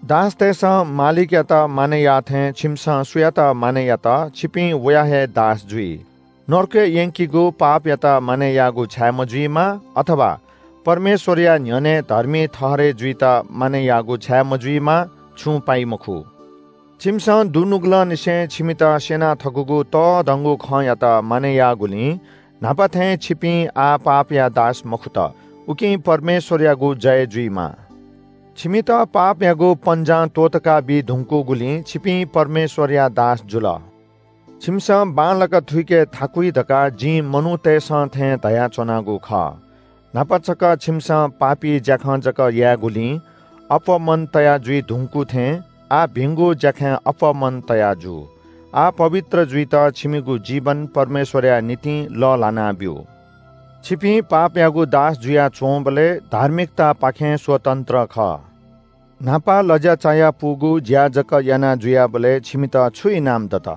दासतय्‌सं मालिकयात मानय् याःथें छिमिसं सुयात मानय् यात, छिपिं वया हे दास जुइ। नरकय् यंकीगु पापयात मानय् याःगु छाय् मजुइमा, अथवा परमेश्‍वरया न्‍ह्यःने धर्मी ठहरय् जुइत मानय् याःगु छाय् मजुइमा, छुं पाइ मखु। छिमिसं दुनुगलंनिसें छिमित स्‍यना थकूगु तःधंगु खँयात मानय् याःगुलिं न्‍हापा थें छिपिं आः पापया दास मखुत, उकिं परमेश्‍वरयागु जय जुइमा। छिमित पापयागु पन्‍जां त्‍वःतका बी धुंकूगुलिं छिपिं परमेश्‍वरया दास जुल। छिमिसं बांलाक थुइके थाकुइ धकाः जिं मनूतय्‌सं थें धयाच्‍वनागु खः। न्‍हापा छकः छिमिसं पापी ज्‍याखँ जक यायेगुलिं अप्‍वः मन तया जुइ धुंकू थें आः भिंगु ज्‍याखँय् अप्‍वः मन तया जु। आः पवित्र जुइत छिमिगु जीवन परमेश्‍वरया निंतिं लःल्‍हाना ब्‍यु। छिपिं पापयागु दास जुया च्‍वंबलय् धार्मिकतापाखें स्वतन्त्र खः। न्‍हापा लज्‍या चायापुगु ज्‍या जक याना जुयाबलय् छिमित छु इनाम दत?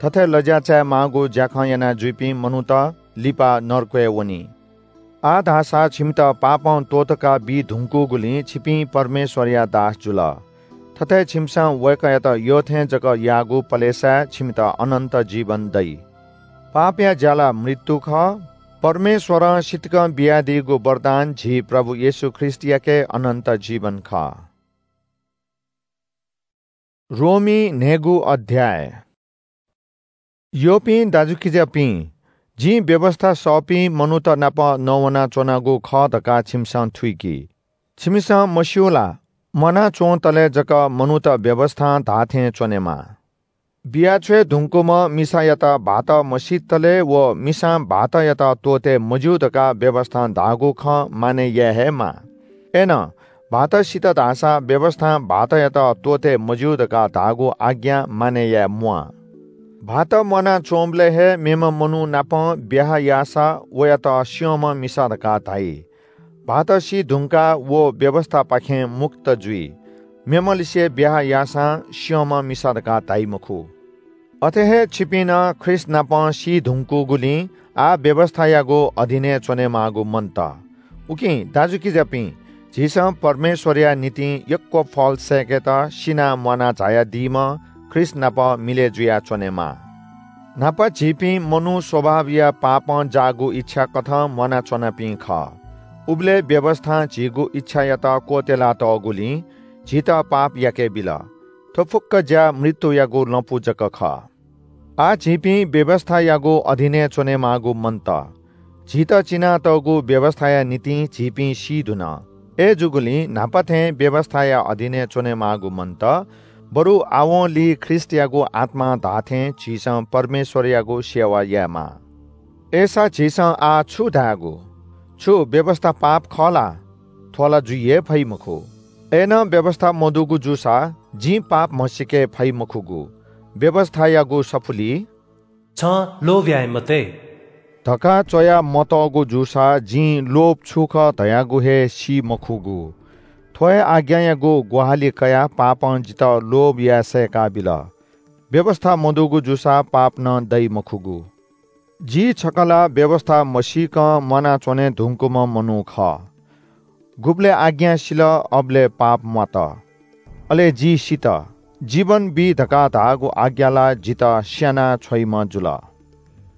थथे लज्‍या चायेमाःगु ज्‍याखँ याना जुइपिं मनूत लिपा नरकय् वनी। आः धाःसा छिमित पापं त्‍वःतका बी धुंकूगुलिं छिपिं परमेश्‍वरया दास जुल। थथे छिमिसं वय्‌कःयात यःथें जक याःगु पलेसाय् छिमित अनन्‍त जीवन दइ। पापया ज्‍या ला मृत्यु खः। परमेश्‍वरं सितिकं बियादीगु वरदान झी प्रभु येशू ख्रीष्‍टयाके अनन्‍त जीवन खः। रोमी न्‍हय्‌गू अध्‍याय। यःपिं दाजुकिजापिं, जिं व्‍यवस्‍था सःपिं मनूत नाप नवानाच्‍वनागु खः धकाः छिमिसं थुइकी। छिमिसं मस्‍यू ला, म्‍वाना च्‍वंतले जक मनूत व्‍यवस्‍थां धाःथें च्‍वनेमाः। बियाछ्वये धुंकूम्‍ह मिसायात भाःत मसीतले व मिसां भाःतयात त्‍वःते मज्‍यू धकाः व्‍यवस्‍थां धाःगु खँ मानय् याये हे माः। अय्‌नं भाःत सित धाःसा व्‍यवस्‍थां भाःतयात त्‍वःते मज्‍यू धकाः धाःगु आज्ञा मानय् याये म्‍वाः। भाःत म्‍वानाच्‍वंबलय् हे मेम्‍ह मनू नाप ब्‍याहा याःसा वयात स्‍यंम्‍ह मिसा धकाः धाइ। भाःत सी धुंकाः व व्‍यवस्‍थापाखें मुक्त जुइ। मेम्‍हलिसे ब्‍याहा याःसां स्‍यंम्‍ह मिसा धकाः धाइ मखु। अथे हे छिपिं नं ख्रीष्‍ट नाप सी धुंकूगुलिं आः व्‍यवस्‍थायागु अधीनय् च्‍वनेमाःगु मन्‍त। उकिं दाजुकिजापिं, झीसं परमेश्‍वरया निंतिं यक्‍व फल सय्‌केत सिनाः म्‍वाना झायादीम्‍ह ख्रीष्‍ट नाप मिलय् जुयाः च्‍वनेमाः। न्‍हापा झीपिं मनू स्वभावया पापं जाःगु इच्‍छा कथं म्‍वानाच्‍वनापिं खः। उबलय् व्‍यवस्‍थां झीगु इच्‍छायात क्‍वत्‍यलातःगुलिं झीत पाप याके बिल। थ्‍व फुक्‍क ज्‍या मृत्‍युयागु लँपु जक खः। आः झीपिं व्‍यवस्‍थायागु अधीनय् च्‍वनेमाःगु मन्‍त। झीत चिनातःगु व्‍यवस्‍थाया निंतिं झीपिं सी धुन। अय्‌जूगुलिं न्‍हापा थें व्‍यवस्‍थाया अधीनय् च्‍वनेमाःगु मन्‍त, बरु आवंलि ख्रीष्‍टयागु आत्‍मां धाःथें झीसं परमेश्‍वरयागु सेवा यायेमाः। अय्‌सा झीसं आः छु धायेगु? छु व्‍यवस्‍था पाप खः ला? थ्‍व ला जुइ हे फइ मखु। अय्‌नं व्‍यवस्‍था मदुगु जूसा जिं पाप म्हसीके फइ मखुगु। व्‍यवस्‍थायागु सफुलिइ छं लोभ याये मते धकाः च्‍वया मतःगु जूसा जिं लोभ छु खः धयागु हे सी मखुगु। थ्‍व हे आज्ञायागु ग्‍वाहालि कयाः पापं जितः लोभ याये सय्‌काबिल। व्‍यवस्‍था मदुगु जूसा पाप नं दइ मखुगु। जि छकः ला व्‍यवस्‍था मसीकं म्‍वानाच्‍वने धुंकूम्‍ह मनू खः। गुबलय् आज्ञा सिल, अबलय् पाप म्‍वात। अले जि सित। जीवन बी धकाः धाःगु आज्ञा ला जितः स्‍याना छ्वइम्‍ह जुल।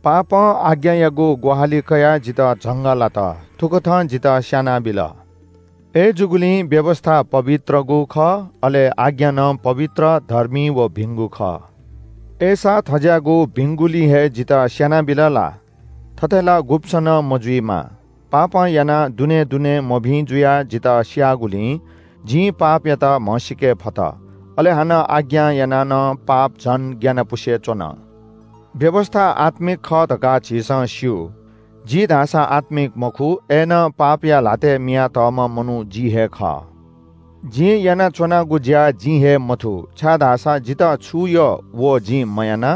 पापं आज्ञायागु ग्‍वाहालि कयाः जितः झंगः लात। थुकथं जितः स्‍यानाबिल। अय्‌जूगुलिं व्‍यवस्‍था पवित्रगु खः, अले आज्ञा नं पवित्र, धर्मी व भिंगु खः। अय्‌सा थज्‍याःगु भिंगुलिं हे जितः स्‍यानाबिल ला? थथे ला गुब्‍सं नं मजुइमा। पापं यानाः दुने दुने मभिं जुयाः जितः स्‍याःगुलिं जिं पापयात म्हसीके फत। अले हानं आज्ञां यानाः नं पाप झन ग्‍यानापुसे च्‍वन। व्‍यवस्‍था आत्‍मिक खः धकाः झीसं स्‍यू। जि धाःसा आत्‍मिक मखु, अय्‌नं पापया ल्‍हातय् मियातःम्‍ह मनू जि हे खः। जिं यानाच्‍वनागु ज्‍या जिं हे मथू, छाय्‌धाःसा जितः छु यः व जिं मयाना,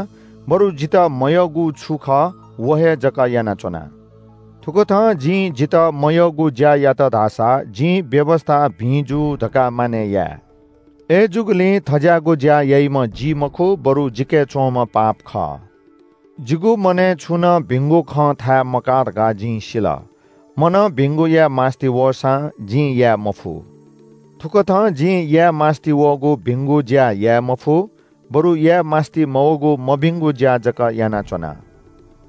बरु जितः मयःगु छु खः व हे जक यानाच्‍वना। थुकथं जिं जितः मयःगु ज्‍या यात धाःसा जिं व्‍यवस्‍था भिं जू धकाः मानय् याये। अय्‌जूगुलिं थज्‍याःगु ज्‍या याइम्‍ह जि मखु, बरु जिके च्‍वंम्‍ह पाप खः। जिगु मनय् छुं नं भिंगु खँ थाये मकाः धकाः जिं सिल। मनं भिंगु याये मास्‍ति वःसां जिं याये मफु। थुकथं जिं याये मास्‍ति वःगु भिंगु ज्‍या याये मफु, बरु याये मास्‍ति मवःगु मभिंगु ज्‍या जक यानाच्‍वना।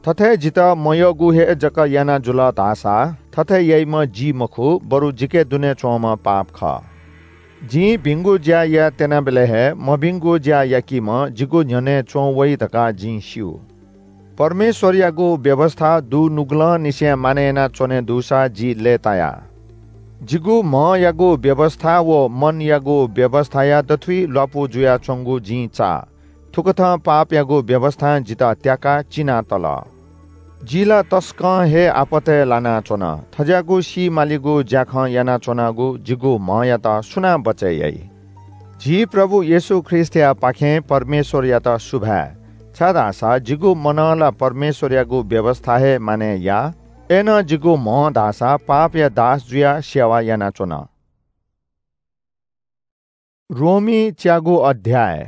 थथे जितः मयःगु हे जक याना जुल धाःसा थथे याइम्‍ह जि मखु, बरु जिके दुने च्‍वंम्‍ह पाप खः। जिं भिंगु ज्‍या याये त्यनाबलय् हे मभिंगु ज्‍या याकीम्‍ह जिगु न्‍ह्यःने च्‍वं वइ धकाः जिं स्‍यू। परमेश्‍वरयागु व्‍यवस्‍था दुनुगलंनिसें मानय् यानाच्‍वने दुसा जि लय्‌ताया। जिगु म्‍हयागु व्‍यवस्‍था व मनयागु व्‍यवस्‍थाया दथुइ ल्‍वापु जुयाच्‍वंगु जिं चाः। थुकथं पापयागु व्‍यवस्‍थां जितः त्याकाः चिनातल। जि ला तसकं हे आपतय् लानाच्‍वन। थज्‍याःगु सी मालीगु ज्‍याखँ यानाच्‍वनागु जिगु म्‍हयात सुनां बचय् याइ? झी प्रभु येशू ख्रीष्‍टयापाखें परमेश्‍वरयात सुभाय्, छाय्‌धाःसा जिगु मनं ला परमेश्‍वरयागु व्‍यवस्‍था हे मानय् याः। अय्‌नं जिगु म्‍हं धाःसा पापया दास जुयाः सेवा यानाच्‍वन। रोमी च्यागू अध्‍याय।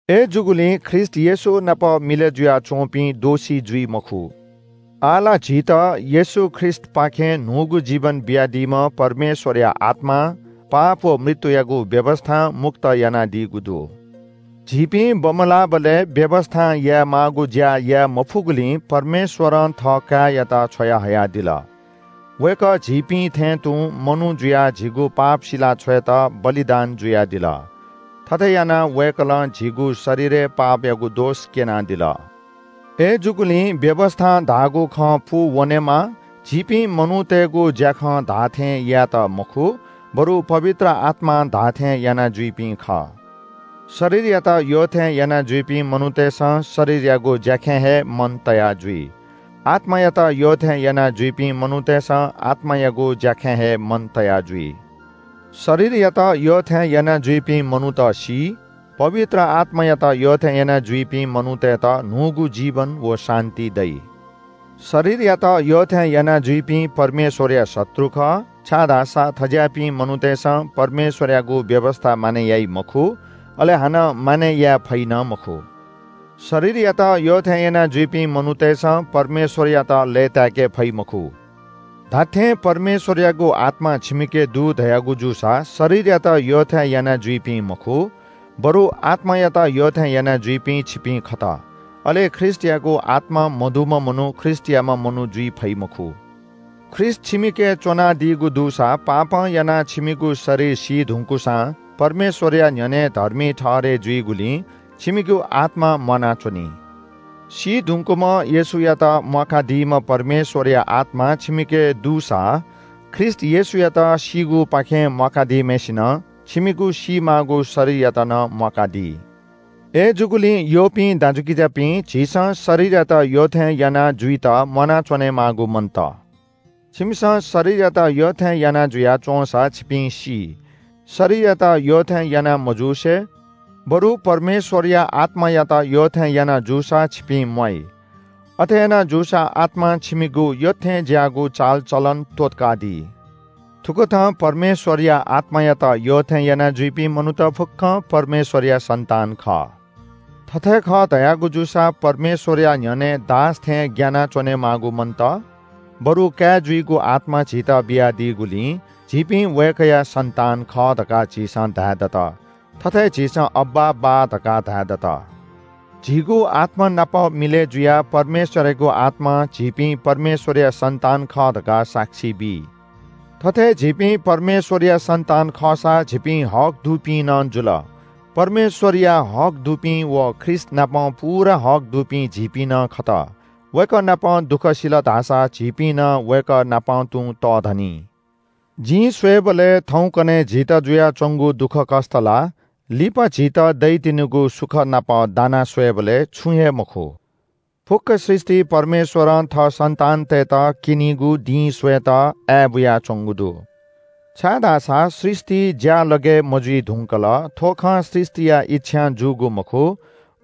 अय्‌जूगुलिं ख्रीष्‍ट येशू नाप मिलय् जुयाच्‍वंपिं दोषी जुइ मखु। आः ला झीत येशू ख्रीष्‍टपाखें न्‍हूगु जीवन बियादीम्‍ह परमेश्‍वरया आत्‍मां पाप व मृत्‍युयागु व्‍यवस्‍थां मुक्त यानादीगु दु। झीपिं बमलाःबलय् व्‍यवस्‍थां यायेमाःगु ज्‍या याये मफुगुलिं परमेश्‍वरं थः काय्‌यात छ्वयाहयादिल। वय्‌कः झीपिं थें तुं मनू जुयाः झीगु पाप सिला छ्वयेत बलिदान जुयादिल। थथे यानाः वय्‌कलं झीगु शरीरय् पापयागु दोष क्‍यनादिल। अय्‌जूगुलिं व्‍यवस्‍थां धाःगु खँ पूवनेमा, झीपिं मनूतय्‌गु ज्‍याखँ धाःथें यायेत मखु, बरु पवित्र आत्‍मां धाःथें याना जुइपिं खः। शरीरयात यःथें याना जुइपिं मनूतय्‌सं शरीरयागु ज्‍याखँय् हे मन तया जुइ। आत्‍मायात यःथें याना जुइपिं मनूतय्‌सं आत्‍मायागु ज्‍याखँय् हे मन तया जुइ। शरीरयात यःथें याना जुइपिं मनूत सी, पवित्र आत्मायात यःथें याना जुइपिं मनूतय्‌त न्हूगु जीवन व शान्ति दइ। शरीरयात यःथें याना जुइपिं परमेश्वरया शत्रु खः, छाय्‌धाःसा थज्याःपिं मनूतय्‌सं परमेश्वरयागु व्यवस्था मानय् याइ मखु, अले हानं मानय् याये फइ नं मखु। शरीरयात यःथें याना जुइपिं मनूतय्‌सं परमेश्वरयात लय्‌ताय्‌के फइ मखु। धात्थें परमेश्वरयागु आत्मा छिमिके दु धयागु जूसा शरीरयात यःथें याना जुइपिं मखु, बरु आत्मायात यःथें याना जुइपिं छिपिं खत। अले ख्रीष्टयागु आत्मा मदुम्ह मनू ख्रीष्टयाम्ह मनू जुइ फइ मखु। ख्रीष्ट छिमिके च्वनादीगु दुसा पापं यानाः छिमिगु शरीर सी धुंकूसां परमेश्वरया न्ह्यःने धर्मी ठहरय् जुइगुलिं छिमिगु आत्मा म्वानाच्वनी। सी धुंकूम्ह येशूयात म्वाकादीम्ह परमेश्वरया आत्मा छिमिके दुसा ख्रीष्ट येशूयात सीगुपाखें म्वाकादीम्हय्‌सिनं छिमिगु सीमाःगु शरीरयात नं म्वाकादी। अय्‌जूगुलिं यःपिं दाजुकिजापिं, झीसं शरीरयात यःथें याना जुइत म्वानाच्वनेमाःगु मन्त। छिमिसं शरीरयात यःथें याना जुयाच्वंसा छिपिं सी। शरीरयात यःथें याना मजूसे, बरु परमेश्वरया आत्मायात यःथें याना जूसा छिपिं म्वाइ। अथे याना जूसा आत्मां छिमिगु यःथें ज्याःगु चालचलन त्वःतकादी। थुकथं परमेश्वरया आत्मायात यःथें याना जुइपिं मनूत फुक्कं परमेश्वरया सन्तान खः। थथे खः धयागु जूसा परमेश्वरया न्ह्यःने दास थें ग्यानाच्वनेमाःगु मन्त, बरु काय् जुइगु आत्मा झीत बियादीगुलिं झीपिं वय्‌कःया सन्तान खः धकाः झीसं धाये दत। थथे झीसं अब्बा, बाः धकाः धाये दत। झीगु आत्मा नाप मिलय् जुयाः परमेश्वरयागु आत्मां झीपिं परमेश्वरया सन्तान खः धकाः साक्षी बी। थथे झीपिं परमेश्वरया सन्तान खःसा झीपिं हक दुपिं नं जुल। परमेश्वरया हक दुपिं व ख्रीष्ट नाप पूरा हक दुपिं झीपिं नं खत। वय्‌कः नाप दुःख सिल धाःसा झीपिं नं वय्‌कः नाप तुं तःधनी। जिं स्वयेबलय् थौंकन्हय् झीत जुयाच्वंगु दुःखकष्‍ट ला लिपा झीत दइतिनिगु सुख नाप दाना स्वयेबलय् छुं हे मखु। फुक्‍क सृष्‍टि परमेश्‍वरं थः सन्‍तानतय्‌त क्‍यनीगु दिं स्वयेत आय् बुयाच्‍वंगु दु। छाय्‌धाःसा सृष्‍टि ज्‍यालगय् मजुइ धुंकल। थ्‍व खँ सृष्‍टिया इच्छां जूगु मखु,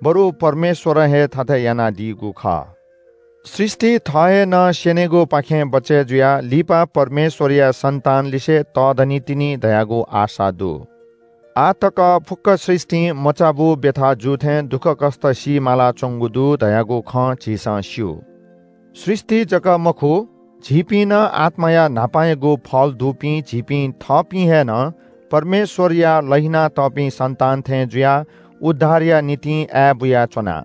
बरु परमेश्‍वरं हे थथे यानादीगु खः। सृष्‍टि थः हे नं स्‍यनेगुपाखें बचय् जुयाः लिपा परमेश्‍वरया सन्‍तानलिसे तःधनीतिनि धयागु आशा दु। आः तक फुक्‍क सृष्‍टिं मचाबू ब्‍यथा जू थें दुःखकष्‍ट सी मालाच्‍वंगु दु धयागु खँ झीसं स्‍यू। सृष्‍टि जक मखु, झीपिं नं आत्‍माया न्‍हापायागु फल दुपिं झीपिं थःपिं हे नं परमेश्‍वरया लहिनातःपिं सन्‍तान थें जुयाः उद्धारया निंतिं आय् बुयाच्‍वना।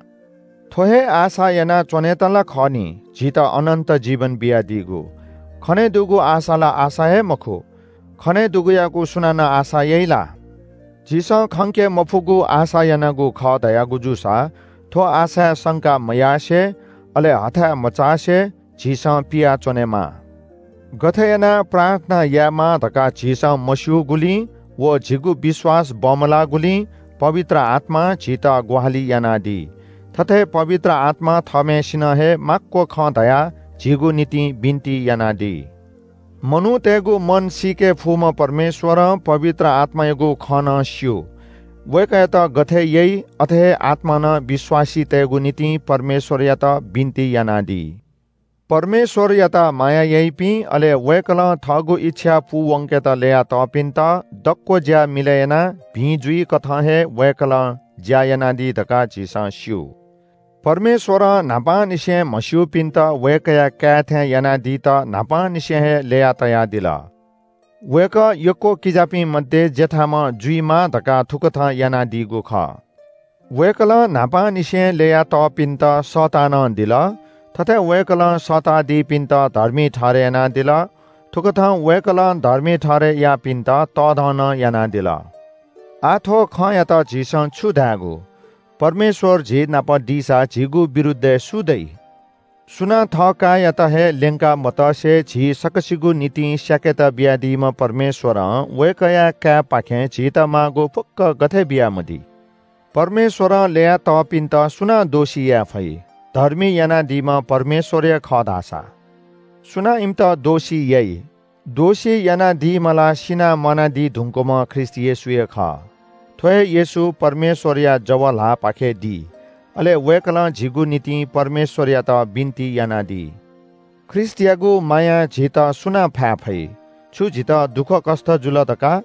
थ्‍व हे आशा यानाच्‍वनेत ला खः नि, झीत अनन्‍त जीवन बियादीगु। खनेदुगु आशा ला आशा हे मखु। खनेदुगुयागु सुनानं आशा याइ ला? झीसं खंके मफुगु आशा यानागु खः धयागु जूसा, थ्‍व आशाय् शंका मयासें, अले हथाय् मचासें झीसं पियाच्‍वनेमाः। गथे यानाः प्रार्थना यायेमाः धकाः झीसं मस्‍यूगुलिं व झीगु विश्‍वास बमलाःगुलिं पवित्र आत्‍मां झीत ग्‍वाहालि यानादी। थथे पवित्र आत्‍मां थःम्‍हय्‌सिनं हे माक्‍व खँ धयाः झीगु निंतिं बिन्‍ति यानादी। मनूतय्‌गु मन सीके फुम्‍ह परमेश्‍वरं पवित्र आत्‍मायागु खँ नं स्‍यू। वय्‌कःयात गथे याइ, अथे हे आत्‍मां नं विश्‍वासीतय्‌गु निंतिं परमेश्‍वरयात बिन्‍ति यानादी। परमेश्‍वरयात माया याइपिं, अले वय्‌कलं थःगु इच्छा पूवंकेत ल्‍ययातःपिन्‍त दक्‍व ज्‍या मिलय् यानाः भिं जुइकथं हे वय्‌कलं ज्‍या यानादी धकाः झीसं स्‍यू। परमेश्‍वरं न्‍हापांनिसें म्हस्‍यूपिन्‍त वय्‌कःया काय् थें यानादीत न्‍हापांनिसें हे ल्‍यया तयादिल। वय्‌कः यक्‍व किजापिं मध्ये ज्‍याथाम्‍ह जुइमाः धकाः थुकथं यानादीगु खः। वय्‌कलं न्‍हापांनिसें ल्‍ययातःपिन्‍त सःता नं दिल। थथे वय्‌कलं सःतादीपिन्‍त धर्मी ठहरय् यानादिल। थुकथं वय्‌कलं धर्मी ठहरय् याःपिन्‍त तःधं नं यानादिल। आः थ्‍व खँयात झीसं छु धायेगु? परमेश्‍वर झी नाप दीसा झीगु विरुद्धय् सु दइ? सुनां थः काय्‌यात हे ल्‍यंका मतसे झी सकसिगु निंतिं स्‍याकेत बियादीम्‍ह परमेश्‍वरं वय्‌कःया काय्‌पाखें झीत माःगु फुक्‍क गथे बियामदी? परमेश्‍वरं ल्‍ययातःपिन्‍त सुनां दोषी याये फइ, धर्मी यानादीम्‍ह परमेश्‍वर हे खः धाःसा? सुनां इमित दोषी याइ? दोषी यानादीम्ह ला सिनाः म्वानादी धुंकूम्ह ख्रीष्ट येशू हे खः। थ्व हे येशू परमेश्वरया जव ल्हाःपाखे दी। अले वय्कलं झीगु निंतिं परमेश्वरयात बिन्ति यानादी। ख्रीष्टयागु मायां झीत सुनां फाये फइ? छु झीत दुःखकष्ट जुल धकाः,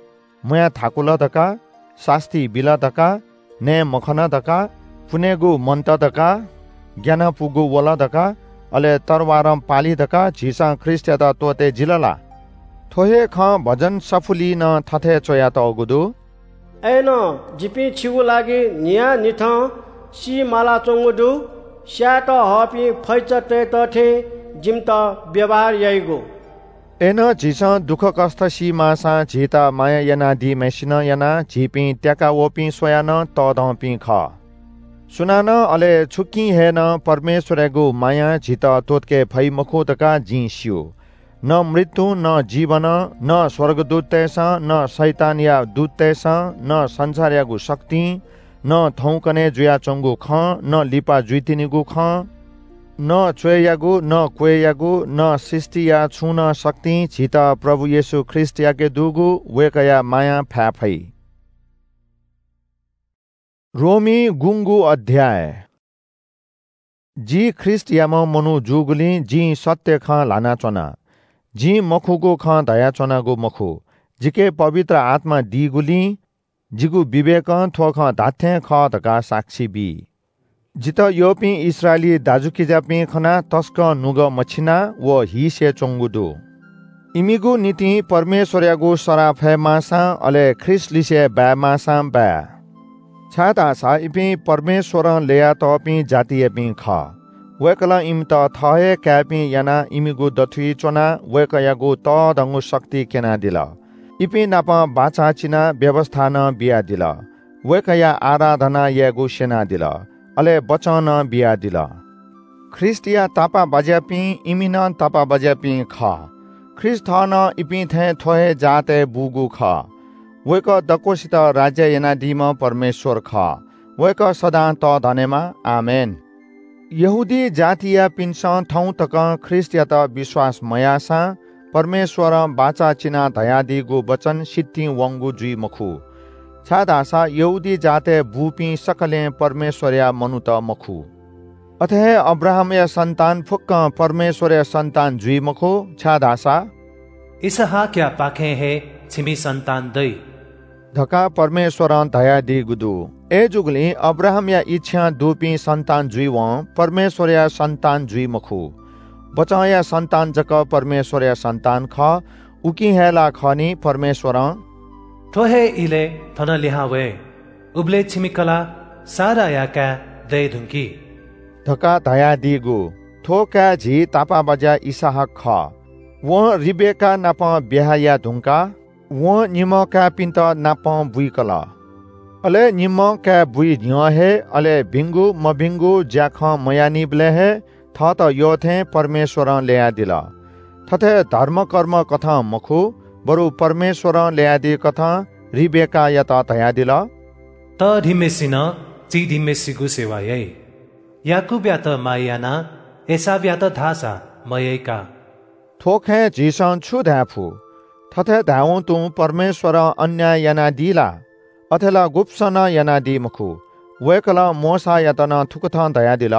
म्हुयाः थाकुल धकाः, सास्ती बिल धकाः, नये मखन धकाः, पुनेगु मन्त धकाः, ग्यानापुगु वल धकाः, अले तरवारं पाली धकाः झीसं ख्रीष्टयात त्वःते जिल ला? थ्व हे खँ भजन सफुलिइ नं थथे च्वयातःगु दु। अय्नं जिपिं छिगु लागि न्हियान्हिथं सी मालाच्वंगु दु। स्यायेत हःपिं फैचातय्त थें जिमित व्यवहार याइगु। अय्नं झीसं दुःखकष्ट सी माःसां झीत माया यानादीम्हय्सिनं यानाः झीपिं त्याका वःपिं स्वयाः नं तःधंपिं खः। सुनानं अले छुकिं हे नं परमेश्वरयागु मायां झीत त्वःतके फइ मखु धकाः जिं स्यू। न मृत्युं, न जीवनं, न स्वर्गदूततय्सं, न शैतानया दूततय्सं, न संसारयागु शक्तिं, न थौंकन्हय् जुयाच्वंगु खँ, न लिपा जुइतिनिगु खँ, न च्वय्यागु, न क्वय्यागु, न सृष्टिया छुं नं शक्तिं झीत प्रभु येशू ख्रीष्टयाके दुगु वय्कःया मायां फाये फइ। रोमी गुंगू अध्याय। जि ख्रीष्टयाम्ह मनू जूगुलिं जिं सत्य खँ ल्हानाच्वना। जिं मखुगु खँ धयाच्वनागु मखु। जिके पवित्र आत्मा दीगुलिं जिगु विवेकं थ्व खँ धात्थें खः धकाः साक्षी बी। जितः यःपिं इस्राएली दाजुकिजापिं खनाः तसकं नुगः मछिना व हीसे च्वंगु दु। इमिगु निंतिं परमेश्वरयागु सराः फयेमाःसां, अले ख्रीष्टलिसे बायेमाःसां बाय्। छाय्धाःसा इपिं परमेश्वरं ल्ययातःपिं जातियापिं खः। वय्कलं इमित थः हे काय्पिं यानाः इमिगु दथुइ च्वनाः वय्कःयागु तःधंगु शक्ति क्यनादिल। इपिं नाप बाचा चिनाः व्‍यवस्‍था नं बियादिल। वय्कःया आराधना यायेगु स्‍यनादिल, अले बचं नं बियादिल। ख्रीष्‍टया तापाःबाज्‍यापिं इमि नं तापाःबाज्‍यापिं खः। ख्रीष्‍ट थः नं इपिं थें थ्‍व हे जातय् बूगु खः। वय्कः दक्‍वसित राज्‍य यानादीम्‍ह परमेश्‍वर खः। वय्कः सदां तःधनेमा। आमेन। यहूदी जातियापिन्‍सं थौं तकं ख्रीष्‍टयात विश्‍वास मयाःसां परमेश्‍वरं बाचा चिनाः धयादीगु वचन सितिं वंगु जुइ मखु, छाय्धाःसा यहूदी जातय् बूपिं सकलें परमेश्‍वरया मनूत मखु। अथे हे अब्राहामया सन्‍तान फुक्‍कं परमेश्‍वरया सन्‍तान जुइ मखु, छाय्धाःसा इसहाकयापाखें हे छिमि सन्‍तान दइ धकाः परमेश्‍वरं धयादीगु दु। अय्‌जूगुलिं अब्राहामया इच्छां दुपिं सन्‍तान जुइवं परमेश्‍वरया सन्‍तान जुइ मखु। बचंया सन्‍तान जक परमेश्‍वरया सन्‍तान खः। उकिं हे ला खः नि परमेश्‍वरं थ्‍व हे इलय् थन लिहां वये, उबलय् छिमि कलाः साराया काय् दये धुंकी धकाः धयादीगु। थ्‍व काय् झी तापाःबाज्‍या इसहाक खः। वं रिबेका नाप ब्‍याहा याये धुंकाः वं निम्‍ह काय्‌पिन्‍त नापं बुइकल। अले निम्‍ह काय् बुइ न्‍ह्यः हे, अले भिंगु मभिंगु ज्‍याखँ मयाःनिबलय् हे थःत यःथें परमेश्‍वरं ल्‍ययादिल। थथे धर्मकर्म कथं मखु, बरु परमेश्‍वरं ल्‍ययादीकथं रिबेकायात धयादिल। तःधिम्‍हय्‌सिनं चिधिम्‍हय्‌सिगु सेवा याइ। याकूबयात माया यानाः एसावयात धाःसा मयाइका। थ्‍व खँय् झीसं छु धाये फु? थथे धायेवं तुं परमेश्‍वरं अन्‍याय यानादी ला? अथे ला गुब्‍सं नं यानादी मखु। वय्‌कलं मोशायात नं थुकथं धयादिल।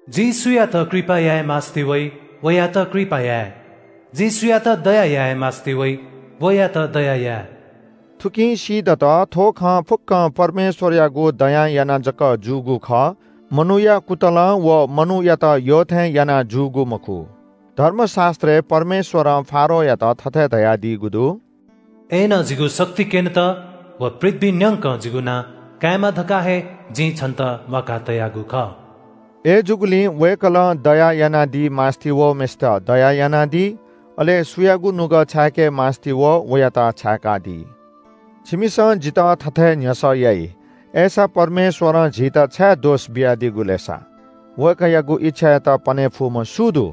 जिं सुयात कृपा याये मास्‍ति वइ, वयात कृपा याये। जिं सुयात दया याये मास्‍ति वइ, वयात दया याये। थुकिं सीदत, थ्‍व खँ फुक्‍कं परमेश्‍वरयागु दयां यानाः जक जूगु खः। मनूया कुतलं व मनूयात यःथें यानाः जूगु मखु। धर्मशास्‍त्रय् परमेश्‍वरं फारोयात थथे धयादीगु दु। अय्‌नं जिगु शक्ति क्‍यनेत व पृथ्‍वी न्‍यंकं जिगु नां कायेमा धकाः हे जिं छन्‍त म्‍वाका तयागु खः। अय्‌जूगुलिं वय्‌कलं दया यानादी मास्‍ति वःम्‍हय्‌सित दया यानादी, अले सुयागु नुगः छाय्‌के मास्‍ति वः, वयात छाय्‌कादी। छिमिसं जितः थथे न्‍ह्यसः याइ, अय्‌सा परमेश्‍वरं झीत छाय् दोष बियादीगु लय्‌सा? वय्‌कःयागु इच्छायात पने फुम्‍ह सु दु?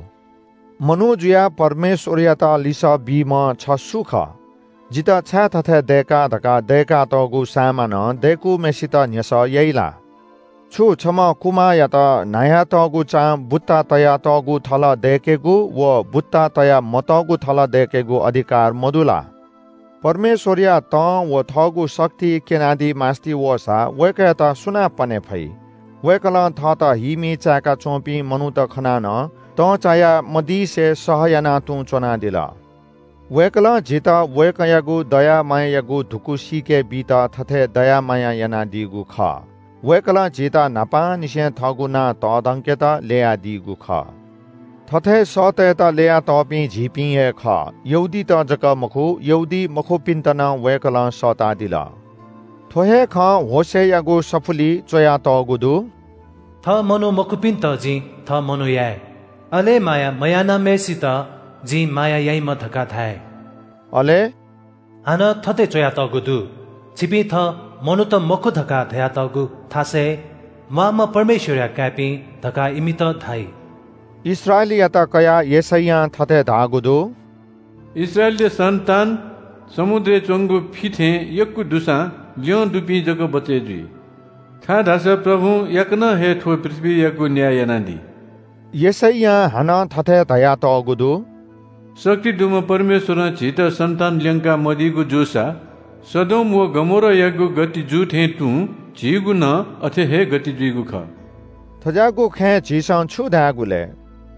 मनू जुयाः परमेश्‍वरयात लिसः बीम्‍ह छ सु खः? जितः छाय् थथे दय्‌का धकाः दय्‌कातःगु सामानं दय्‌कूम्‍हय्‌सित न्‍ह्यसः याइ ला? छु छम्ह कुमाःयात न्हायातःगु चां बुत्ता तयातःगु थल दय्‌केगु व बुत्ता तया मतःगु थल दय्‌केगु अधिकार मदु ला? परमेश्वरया तं व थःगु शक्ति क्यनादी मास्ति वःसा वय्‌कःयात सुनां पने फइ? वय्‌कलं थःत हीमि चाय्‌का च्वंपिं मनूत खनाः नं तं चाया मदीसे सह यानाः तुं च्वनादिल। वय्‌कलं झीत वय्‌कःयागु दया मायायागु धुकू सीके बीत थथे दया माया यानादीगु खः। वय्‌कलं झीत न्हापांनिसें थःगु नां तःधंकेत ल्ययादीगु खः। थथे सःतय्‌त ल्ययातःपिं झीपिं हे खः, यहूदीत जक मखु, यहूदी मखुपिन्त नं वय्‌कलं सःतादिल। थ्व हे खँ होशेयागु सफुलिइ च्वयातःगु दु। थः मनू मखुपिन्त जिं थः मनू याये, अले माया मयानाम्हय्‌सित जिं माया याइम्ह धकाः धाये। अले हानं थथे च्वयातःगु दु, छिपिं थः मनूत मखु धकाः धयातःगु थासय् म्वाःम्ह परमेश्वरया काय्‌पिं धकाः इमित धाइ। इस्राएलयात कयाः यशैयां थथे धाःगु दु। इस्राएलया सन्तान समुद्रय् च्वंगु फि थें यक्व दुसां ल्यं दुपिं जक बचय् जुइ। छाय्‌धाःसा प्रभुं याकनं हे थ्व पृथ्वीयागु न्याय यानादी। यशैयां हानं थथे धयातःगु दु। शक्ति दुम्ह परमेश्वरं झीत सन्तान ल्यंका मदीगु जूसा सदोम व गमोरायागु गति जू थें तुं झीगु नं अथे हे गति जुइगु खः। थज्याःगु खँय् झीसं छु धायेगु लय्?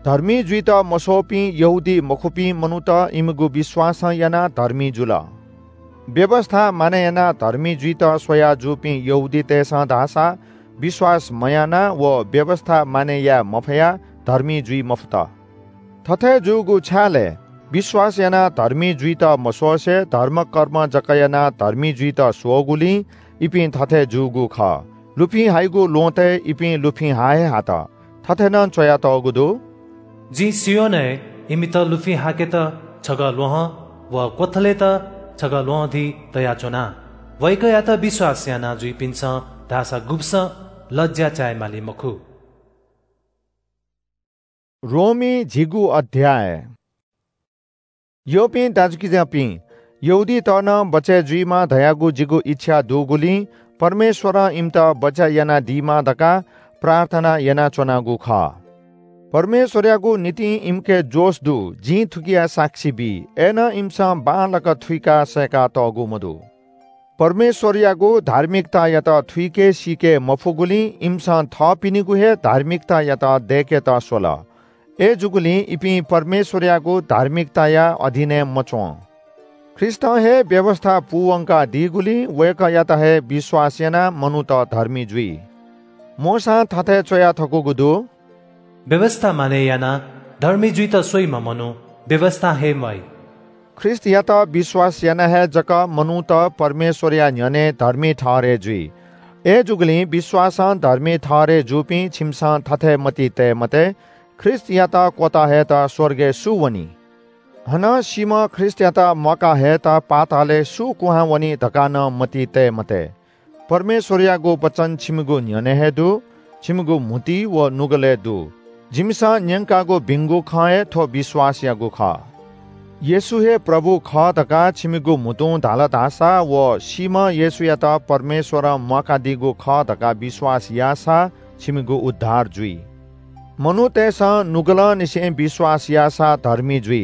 धर्मी जुइत मस्वःपिं यहूदी मखुपिं मनूत इमिगु विश्वासं यानाः धर्मी जुल। व्‍यवस्‍था मानय् यानाः धर्मी जुइत स्‍वया जूपिं यहूदीतय्‌सं धाःसा विश्‍वास मयानाः व व्‍यवस्‍था मानय् याये मफयाः धर्मी जुइ मफुत। थथे जूगु छाय् लय्? विश्‍वास यानाः धर्मी जुइत मस्‍वसे धर्मकर्म जक यानाः धर्मी जुइत स्‍वःगुलिं इपिं थथे जूगु खः। लुफिं हाइगु ल्‍वहँतय् इपिं लुफिं हा हे हात। थथे नं च्‍वयातःगु दु। जिं सियोनय् इमित लुफिं हाकेत छगः ल्‍वहं व क्‍वथलय्‌त छगः ल्‍वहंधी तयाच्‍वना। वय्‌कःयात विश्‍वास याना जुइपिन्‍सं धाःसा गुब्‍सं लज्‍या चाये माली मखु। रोमी झिगू अध्‍याय। यःपिं दाजुकिजापिं, यहूदीत नं बचय् जुइमा धयागु जिगु इच्‍छा दुगुलिं परमेश्‍वरं इमित बचय् यानादीमा धकाः प्रार्थना यानाच्‍वनागु खः। परमेश्‍वरयागु निंतिं इमिके जोश दु, जिं थुकिया साक्षी बी। अय्‌नं इमिसं बांलाक थुइकाः सय्‌कातःगु मदु। परमेश्‍वरयागु धार्मिकतायात थुइके सीके मफुगुलिं इमिसं थःपिनिगु हे धार्मिकतायात दय्‌केत स्‍वल। अय्‌जूगुलिं इपिं परमेश्‍वरयागु धार्मिकताया अधीनय् मच्‍वं। ख्रीष्‍टं हे व्‍यवस्‍था पूवंकादीगुलिं वय्‌कःयात हे विश्‍वास यानाः मनूत धर्मी जुइ। मोशां थथे च्‍वया थकूगु दु। व्‍यवस्‍था मानय् यानाः धर्मी जुइत स्‍वइम्‍ह मनू व्‍यवस्‍थां हे म्‍वाइ। ख्रीष्‍टयात विश्‍वास यानाः हे जक मनूत परमेश्‍वरया न्‍ह्यःने धर्मी ठहरय् जुइ। अय्‌जूगुलिं विश्‍वासं धर्मी ठहरय् जूपिं छिमिसं थथे मतिइ तये मते, ख्रीष्‍टयात क्‍वतः हयेत स्‍वर्गय् सु वनी? हानं सीम्‍ह ख्रीष्‍टयात म्‍वाका हयेत पातालय् सु कुहां वनी धकाः नं मतिइ तये मते। परमेश्‍वरयागु वचन छिमिगु न्‍ह्यःने हे दु, छिमिगु म्‍हुतुइ व नुगलय् दु। जिमिसं न्‍यंकागु भिंगु खँ हे थ्‍व विश्‍वासयागु खः। येशू हे प्रभु खः धकाः छिमिगु म्‍हुतुं धाल धाःसा व सीम्‍ह येशूयात परमेश्‍वरं म्‍वाकादीगु खः धकाः विश्‍वास याःसा छिमिगु उद्धार जुइ। मनूतय्‌सं नुगलंनिसें विश्‍वास याःसा धर्मी जुइ,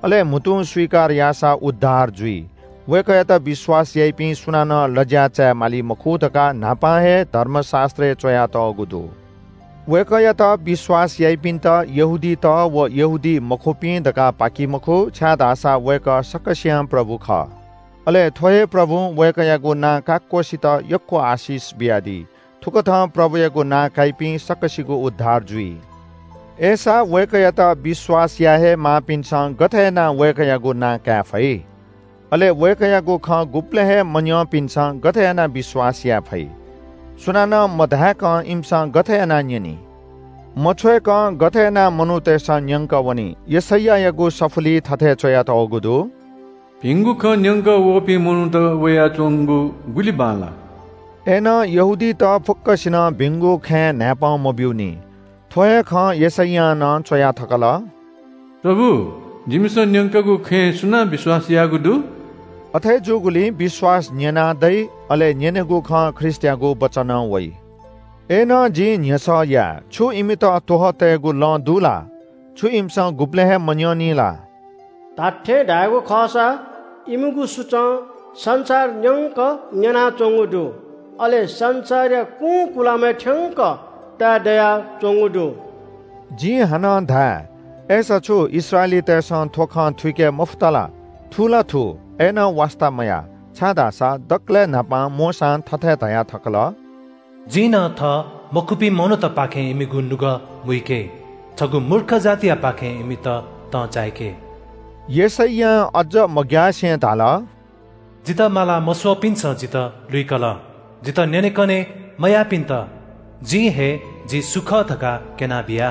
अले म्‍हुतुं स्‍वीकार याःसा उद्धार जुइ। वय्‌कःयात विश्‍वास याइपिं सुनानं लज्‍या चाये माली मखु धकाः न्‍हापां हे धर्मशास्‍त्रय् च्‍वयातःगु दु। वय्‌कःयात विश्‍वास याइपिन्‍त यहूदीत व यहूदी मखुपिं धकाः पाकी मखु, छाय्‌धाःसा वय्‌कः सकसियां प्रभु खः। अले थ्‍व हे प्रभुं वय्‌कःयागु नां काक्‍वसित यक्‍व आशिष बियादी। थुकथं प्रभुयागु नां काइपिं सकसिगु उद्धार जुइ। अय्‌सा वय्‌कःयात विश्‍वास याये हे माःपिन्‍सं गथे यानाः वय्‌कःयागु नां काये फइ? अले वय्‌कःयागु खँ गुबलें हे मन्‍यंपिन्‍सं गथे यानाः विश्‍वास याये फइ? सुनानं मधाय्‌कं इमिसं गथे यानाः न्‍यनी? मछ्वय्‌कं गथे यानाः मनूतय्‌सं न्‍यंकः वनी? यशैयायागु सफुलिइ थथे च्‍वयातःगु दु। भिंगु खँ न्‍यंकः वःपिं मनूत वयाच्‍वंगु गुलि बांलाः। अय्‌नं यहूदीत फुक्‍कसिनं भिंगु खँय् न्‍हाय्‌पं मब्‍यूनि। थ्‍व हे खँ यशैयां नं च्‍वया थकल। प्रभु, जिमिसं न्‍यंकागु खँय् सुनां विश्‍वास याःगु दु? अथे जूगुलिं विश्‍वास न्‍यनाः दइ, अले न्‍यनेगु खँ ख्रीष्‍टयागु वचनं वइ। अय्‌नं जिं न्ह्यसः याये, छु इमित त्वहः तयेगु लँ दु ला? छु इमिसं गुबलें हे मन्यनी ला? धात्थें धायेगु खःसा, इमिगु सुचं संसार न्यंक न्यनाच्वंगु दु, अले संसारया कुंकुलामय् थ्यंक ताये दयाच्वंगु दु। जिं हानं धाये, अय्‌सा छु इस्राएलीतय्‌सं थ्व खँ थुइके मफुत ला? थु ला थु, अय्‌नं वास्ता मयाः, छाय्‌धाःसा दकलय् न्हापां मोशां थथे धया थकल, जिं नं थः मखुपिं मनूतपाखें इमिगु नुगः मुइके, छगू मूर्ख जातियापाखें इमित तं चाय्‌के। यशैयां अज्ज मग्यासें धाल, जितः माला मस्वःपिन्सं जितः लुइकल, जितः न्यनेकने मयाःपिन्त जिं हे जि सु खः धकाः क्यनाबिया।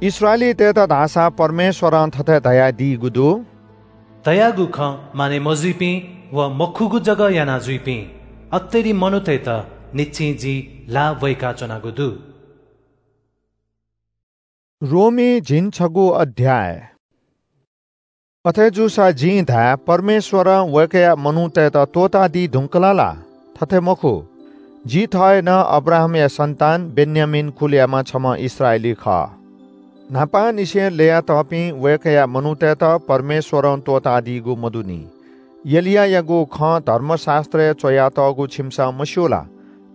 इस्राएलीतय्‌त धाःसा परमेश्वरं थथे धयादीगु दु, तयागु खँ मानय् मजुइपिं व मखुगु जक याना जुइपिं अत्तेरी मनूतय्‌त निच्चिं जिं ल्हाः वय्‌काच्वनागु दु। रोमी झिंछगू अध्याय। अथे जूसा जिं धाये, परमेश्वरं वय्‌कःया मनूतय्‌त त्वःतादी धुंकल ला? थथे मखु। जि थः हे नं अब्राहामया सन्तान, बेन्यामीन कुलयाम्ह छम्ह इस्राएली खः। न्हापांनिसें ल्ययातःपिं वय्‌कःया मनूतय्‌त परमेश्वरं त्वःतादीगु मदुनि। एलियायागु खँ धर्मशास्त्रय् च्वयातःगु छिमिसं मस्यू ला?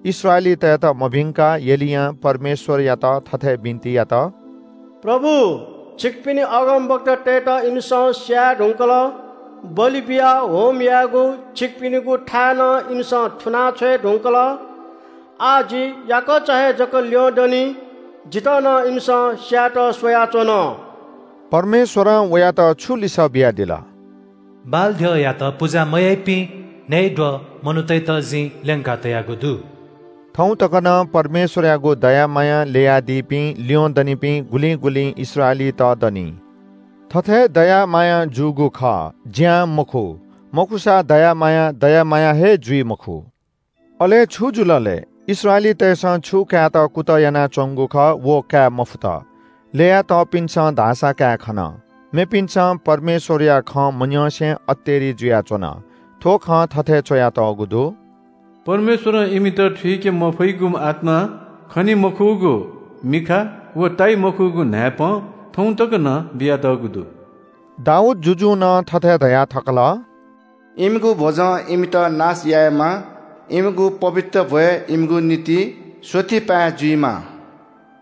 इस्राएलीतय्‌त मभिंकाः एलियां परमेश्वरयात थथे बिन्ति यात, प्रभु, छिकपिनि अगमवक्तातय्‌त इमिसं स्याये धुंकल, बलि बियाः होम यायेगु छिकपिनिगु थाय् नं इमिसं थुना छ्वये धुंकल। आः जि याकःचा हे जक ल्यं दनि, जितः नं इमिसं स्यायेत स्वयाच्वन। परमेश्वरं वयात छु लिसः बियादिल? बाल द्यःयात पुजा मयाइपिं न्हय्‌द्वः मनूतय्‌त जिं ल्यंका तयागु दु। थौं तक नं परमेश्वरयागु दया मायां ल्ययादीपिं ल्यं दनिपिं गुलिं गुलिं इस्राएलीत दनि। थथे दया मायां जूगु खः, ज्यां मखु, मखुसा दया मायां दया मायां हे जुइ मखु। अले छु जुल ले? इस्राएलीतय्‌सं छु कायेत कुतः यानाच्वंगु खः, व काये मफुत। ल्ययातःपिन्सं धाःसा काये खन। मेपिन्सं परमेश्वरया खँ मन्यंसें अत्तेरी जुयाच्वन। थ्व खँ थथे च्वयातःगु दु, परमेश्वरं इमित थुइके मफइगु आत्मा, खनी मखुगु मिखा व ताइ मखुगु न्हाय्‌पं थौं तक नं बियातःगु दु। दाऊद जुजुं नं थथे धया थकल, इमिगु भ्वजं इमित नाश यायेमा, इमिगु पवित्र भ्वय् इमिगु निंतिं स्वथि पाय् जुइमा,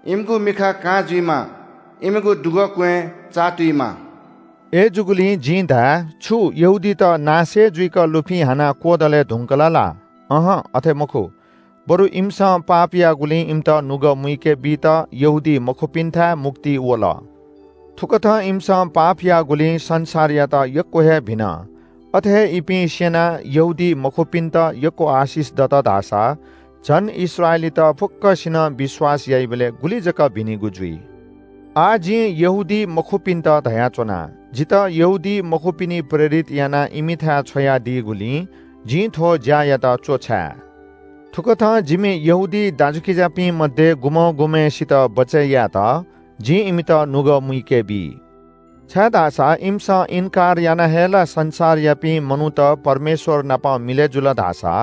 इमिगु मिखा कां जुइमा, इमिगु दुगः क्वँय् चाःतुइमा। अय्‌जूगुलिं जिं धाये, छु यहूदीत नाश हे जुइक लुफिं हानाः क्वदले धुंकल ला? अहं, अथे मखु। बरु इमिसं पाप याःगुलिं इमित नुगः मुइके बीत यहूदी मखुपिन्थाय् मुक्ति वल। थुकथं इमिसं पाप याःगुलिं संसारयात यक्व हे भिन। अथे हे इपिं स्यनाः यहूदी मखुपिन्त यक्व आशिष दत धाःसा झन इस्राएलीत फुक्कसिनं विश्वास याइबलय् गुलि जक भिनिगु जुइ। आः जिं यहूदी मखुपिन्त धयाच्वना, जितः यहूदी मखुपिनि प्रेरित यानाः इमिथाय् छ्वयादीगुलिं जिं थ्व ज्यायात च्वछाये। थुकथं जिमि यहूदी दाजुकिजापिं मध्ये गुम्हं गुम्हय्‌सित बचय् यायेत जिं इमित नुगः मुइके बी। छाय्‌धाःसा इमिसं इन्कार यानाः हे ला संसारयापिं मनूत परमेश्वर नाप मिलय् जुल धाःसा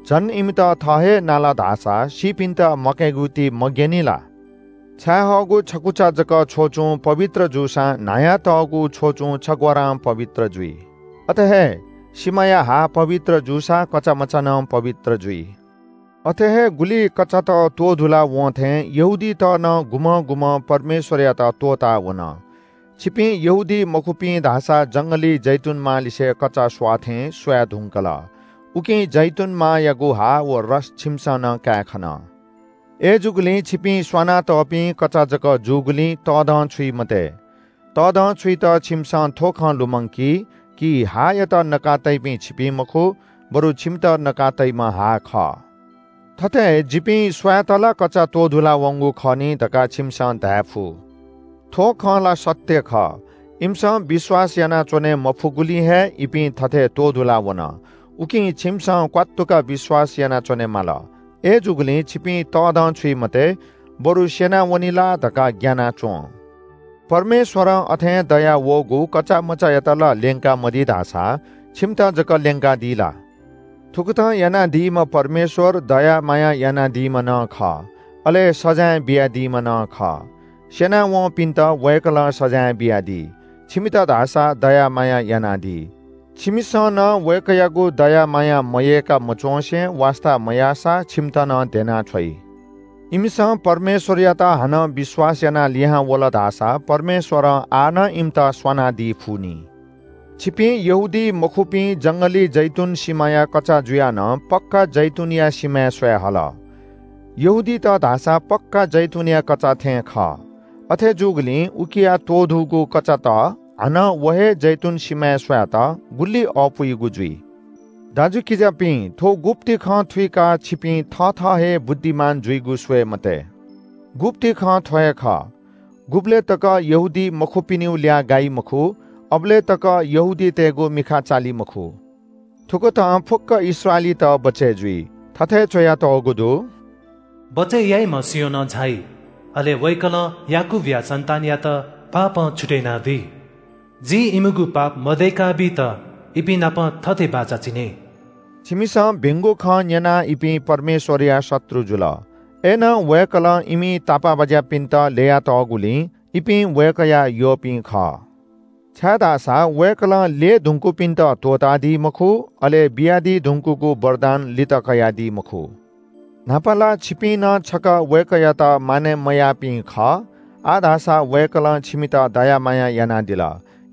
झन इमित थः हे नाल धाःसा सीपिन्त मकय्‌गुति मग्यनी ला? छाय्‌हःगु छकुचा जक छ्वचुं पवित्र जूसां न्हायातःगु छ्वचुं छग्वारां पवित्र जुइ। अथे हे सिमाया हा पवित्र जूसा कचामचा नं पवित्र जुइ। अथे हे गुलि कचात त्वधुला वं थें यहूदीत नं गुम्हं गुम्हं परमेश्वरयात त्वःता वन। छिपिं यहूदी मखुपिं धाःसा जंगली जैतुन मांलिसे कचा स्वाः थें स्वाये धुंकल। उकिं जैतुन मांयागु हा व रस छिमिसं नं काये खन। अय्‌जूगुलिं छिपिं स्वानातःपिं कचा जक जूगुलिं तःधं छुइ मते। तःधं छुइत छिमिसं थ्व खँ लुमंकी कि हायात नका तइपिं छिपिं मखु, बरु छिमित नका तइम्ह हा खः। थथे जिपिं स्वायेत ला कचा त्वधुला वंगु खः नि धकाः छिमिसं धाये फु। थ्व खँ ला सत्य खः। इमिसं विश्वास यानाच्वने मफुगुलिं हे इपिं थथे त्वधुला वन। उकिं छिमिसं क्वात्तुक विश्वास यानाच्वने माल। अय्‌जूगुलिं छिपिं तःधं छुइ मते, बरु स्यनावनी ला धकाः ग्यानाच्वँ। परमेश्वरं अथें दया वःगु कचामचायात ला ल्यंका मदी धाःसा छिमित जक ल्यंकादी ला? थुकथं यानादीम्ह परमेश्वर दया माया यानादीम्ह नं खः। अले सजाँय बियादीम्ह नं खः। स्यनावंपिन्त वय्कलं सजाँय बियादी, छिमित धाःसा दया माया यानादी। छिमिसं नं वय्कःयागु दया माया मयय्का मच्वंसे वास्ता मयाःसा छिमित नं द्यनाछ्वइ। इमिसं परमेश्वरयात हानं विश्वास यानाः लिहां वल धाःसा परमेश्वरं आः नं इमित स्वानादी फुनि। छिपिं यहूदी मखुपिं जंगली जैतुन सिमाया कचा जुयाः नं पक्का जैतुनया सिमाय् स्वये हल। यहूदीत धाःसा पक्का जैतुनया कचा थें खः। अथे जूगुलिं उकिया त्वधूगु कचात हानं व हे जैतुन सिमाय् स्वयेत गुलि अःपुइगु जुइ। दाजुकिजापिं, थ्व गुप्ति खँ थुइकाः छिपिं थःथः हे बुद्धिमान जुइगु स्वये मते। गुप्ति खँ थ्व हे खः, गुबलय् तक यहूदी मखुपिनिगु ल्याः गाइ मखु, अबलय् तक यहूदीतय्गु मिखा चाली मखु। थुकथं फुक्क इस्राएलीत बचय् जुइ। थथे च्वयातःगु दु, बचय् याइम्ह सियोनं झाइ, अले वय्कलं याकूबया सन्तानयात पापं छुतय् यानादी। जिं इमिगु पाप मदय्काबीत इपिं नाप थथे बाचा चिने। छिमिसं भिंगु खँ न्यनाः इपिं परमेश्वरया शत्रु जुल। अय्नं वय्कलं इमि तापाःबाज्यापिन्त ल्ययातःगुलिं इपिं वय्कःया यःपिं खः। छाय्धाःसा वय्कलं ल्यये धुंकूपिन्त त्वःतादी मखु, अले बियादी धुंकूगु वरदान लित कयादी मखु। न्हापा ला छिपिं नं छकः वय्कःयात मानय् मयाःपिं खः, आः धाःसा वय्कलं छिमित दया माया यानादिल।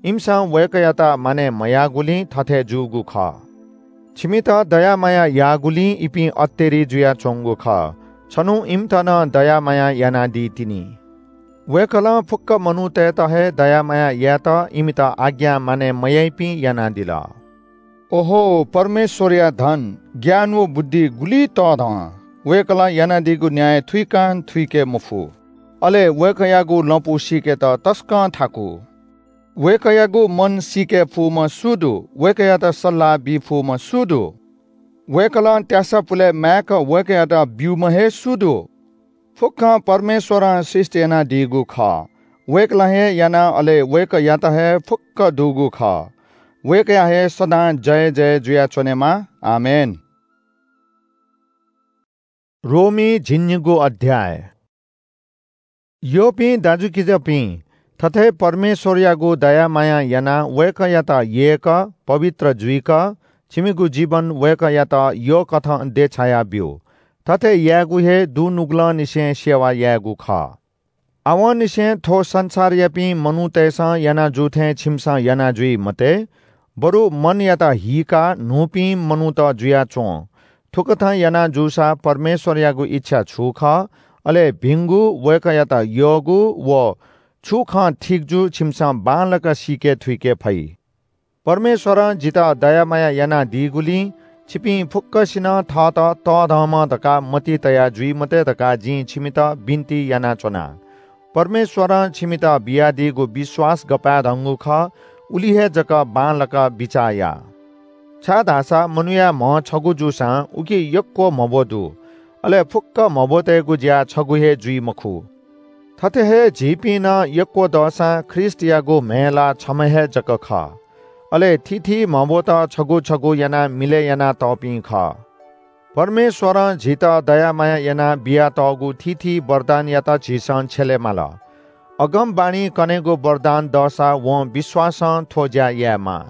इमिसं वय्कःयात मानय् मयाःगुलिं थथे जूगु खः। छिमित दया माया याःगुलिं इपिं अत्तेरी जुयाच्वंगु खः। छन्हु इमित नं दया माया यानादी तिनि। वय्कलं फुक्क मनूतय्त हे दया माया यायेत इमित आज्ञा मानय् मयाइपिं यानादिल। ओहो, परमेश्वरया धन, ज्ञान व बुद्धि गुलि तःधं! वय्कलं यानादीगु न्याय थुइकां थुइके मफु। अले वय्कःयागु लँपु सीकेत तसकं थाकु। वय्कःयागु मन सीके फुम्ह सु दु? वय्कःयात सल्लाह बी फुम्ह सु दु? वय्कलं त्यासा पुले माय्क वय्कःयात ब्यूम्ह हे सु दु? फुक्कं परमेश्वरं सृष्टि यानादीगु खः। वय्कलं हे यानाः, अले वय्कःयात हे फुक्क दुगु खः। वय्कःया हे सदां जय जय जुयाच्वनेमा। आमेन। रोमी झिंनिगू अध्याय। यःपिं दाजुकिजापिं, थथे परमेश्वरयागु दया माया यानाः वय्कःयात यय्क, पवित्र जुइक, छिमिगु जीवन वय्कःयात यःकथं देछाया ब्यु। थथे यायेगु हे दुनुगलंनिसें सेवा यायेगु खः। आवंनिसें थ्व संसारयापिं मनूतय्सं याना जू थें छिमिसं याना जुइ मते, बरु मनयात हीकाः न्हूपिं मनूत जुयाच्वँ। थुकथं याना जूसा परमेश्वरयागु इच्छा छु खः, अले भिंगु, वय्कःयात यःगु व छु खँ ठीक जू, छिमिसं बांलाक सीके थुइके फइ। परमेश्वरं जितः दया माया यानादीगुलिं छिपिं फुक्कसिनं थःत तःधंम्ह धकाः मतिइ तया जुइ मते धकाः जिं छिमित बिन्ति यानाच्वना। परमेश्वरं छिमित बियादीगु विश्वास गपाय्धंगु खः, उलि हे जक बांलाक बिचाः या। छाय्धाःसा मनूया म्ह छगू जूसां उकी यक्व म्हब्व दु, अले फुक्क म्हब्वतय्गु ज्या छगू हे जुइ मखु। थथे हे झीपिं नं यक्व दःसां ख्रीष्टयागु म्हय् ला छम्ह हे जक खः। अले थीथी म्हब्वत छगू छगू यानाः मिलय् यानातःपिं खः। परमेश्वरं झीत दया माया यानाः बियातःगु थीथी वरदानयात झीसं छ्यले माल। अगमवाणी कनेगु वरदान दःसा वं विश्वासं थ्व ज्या यायेमाः।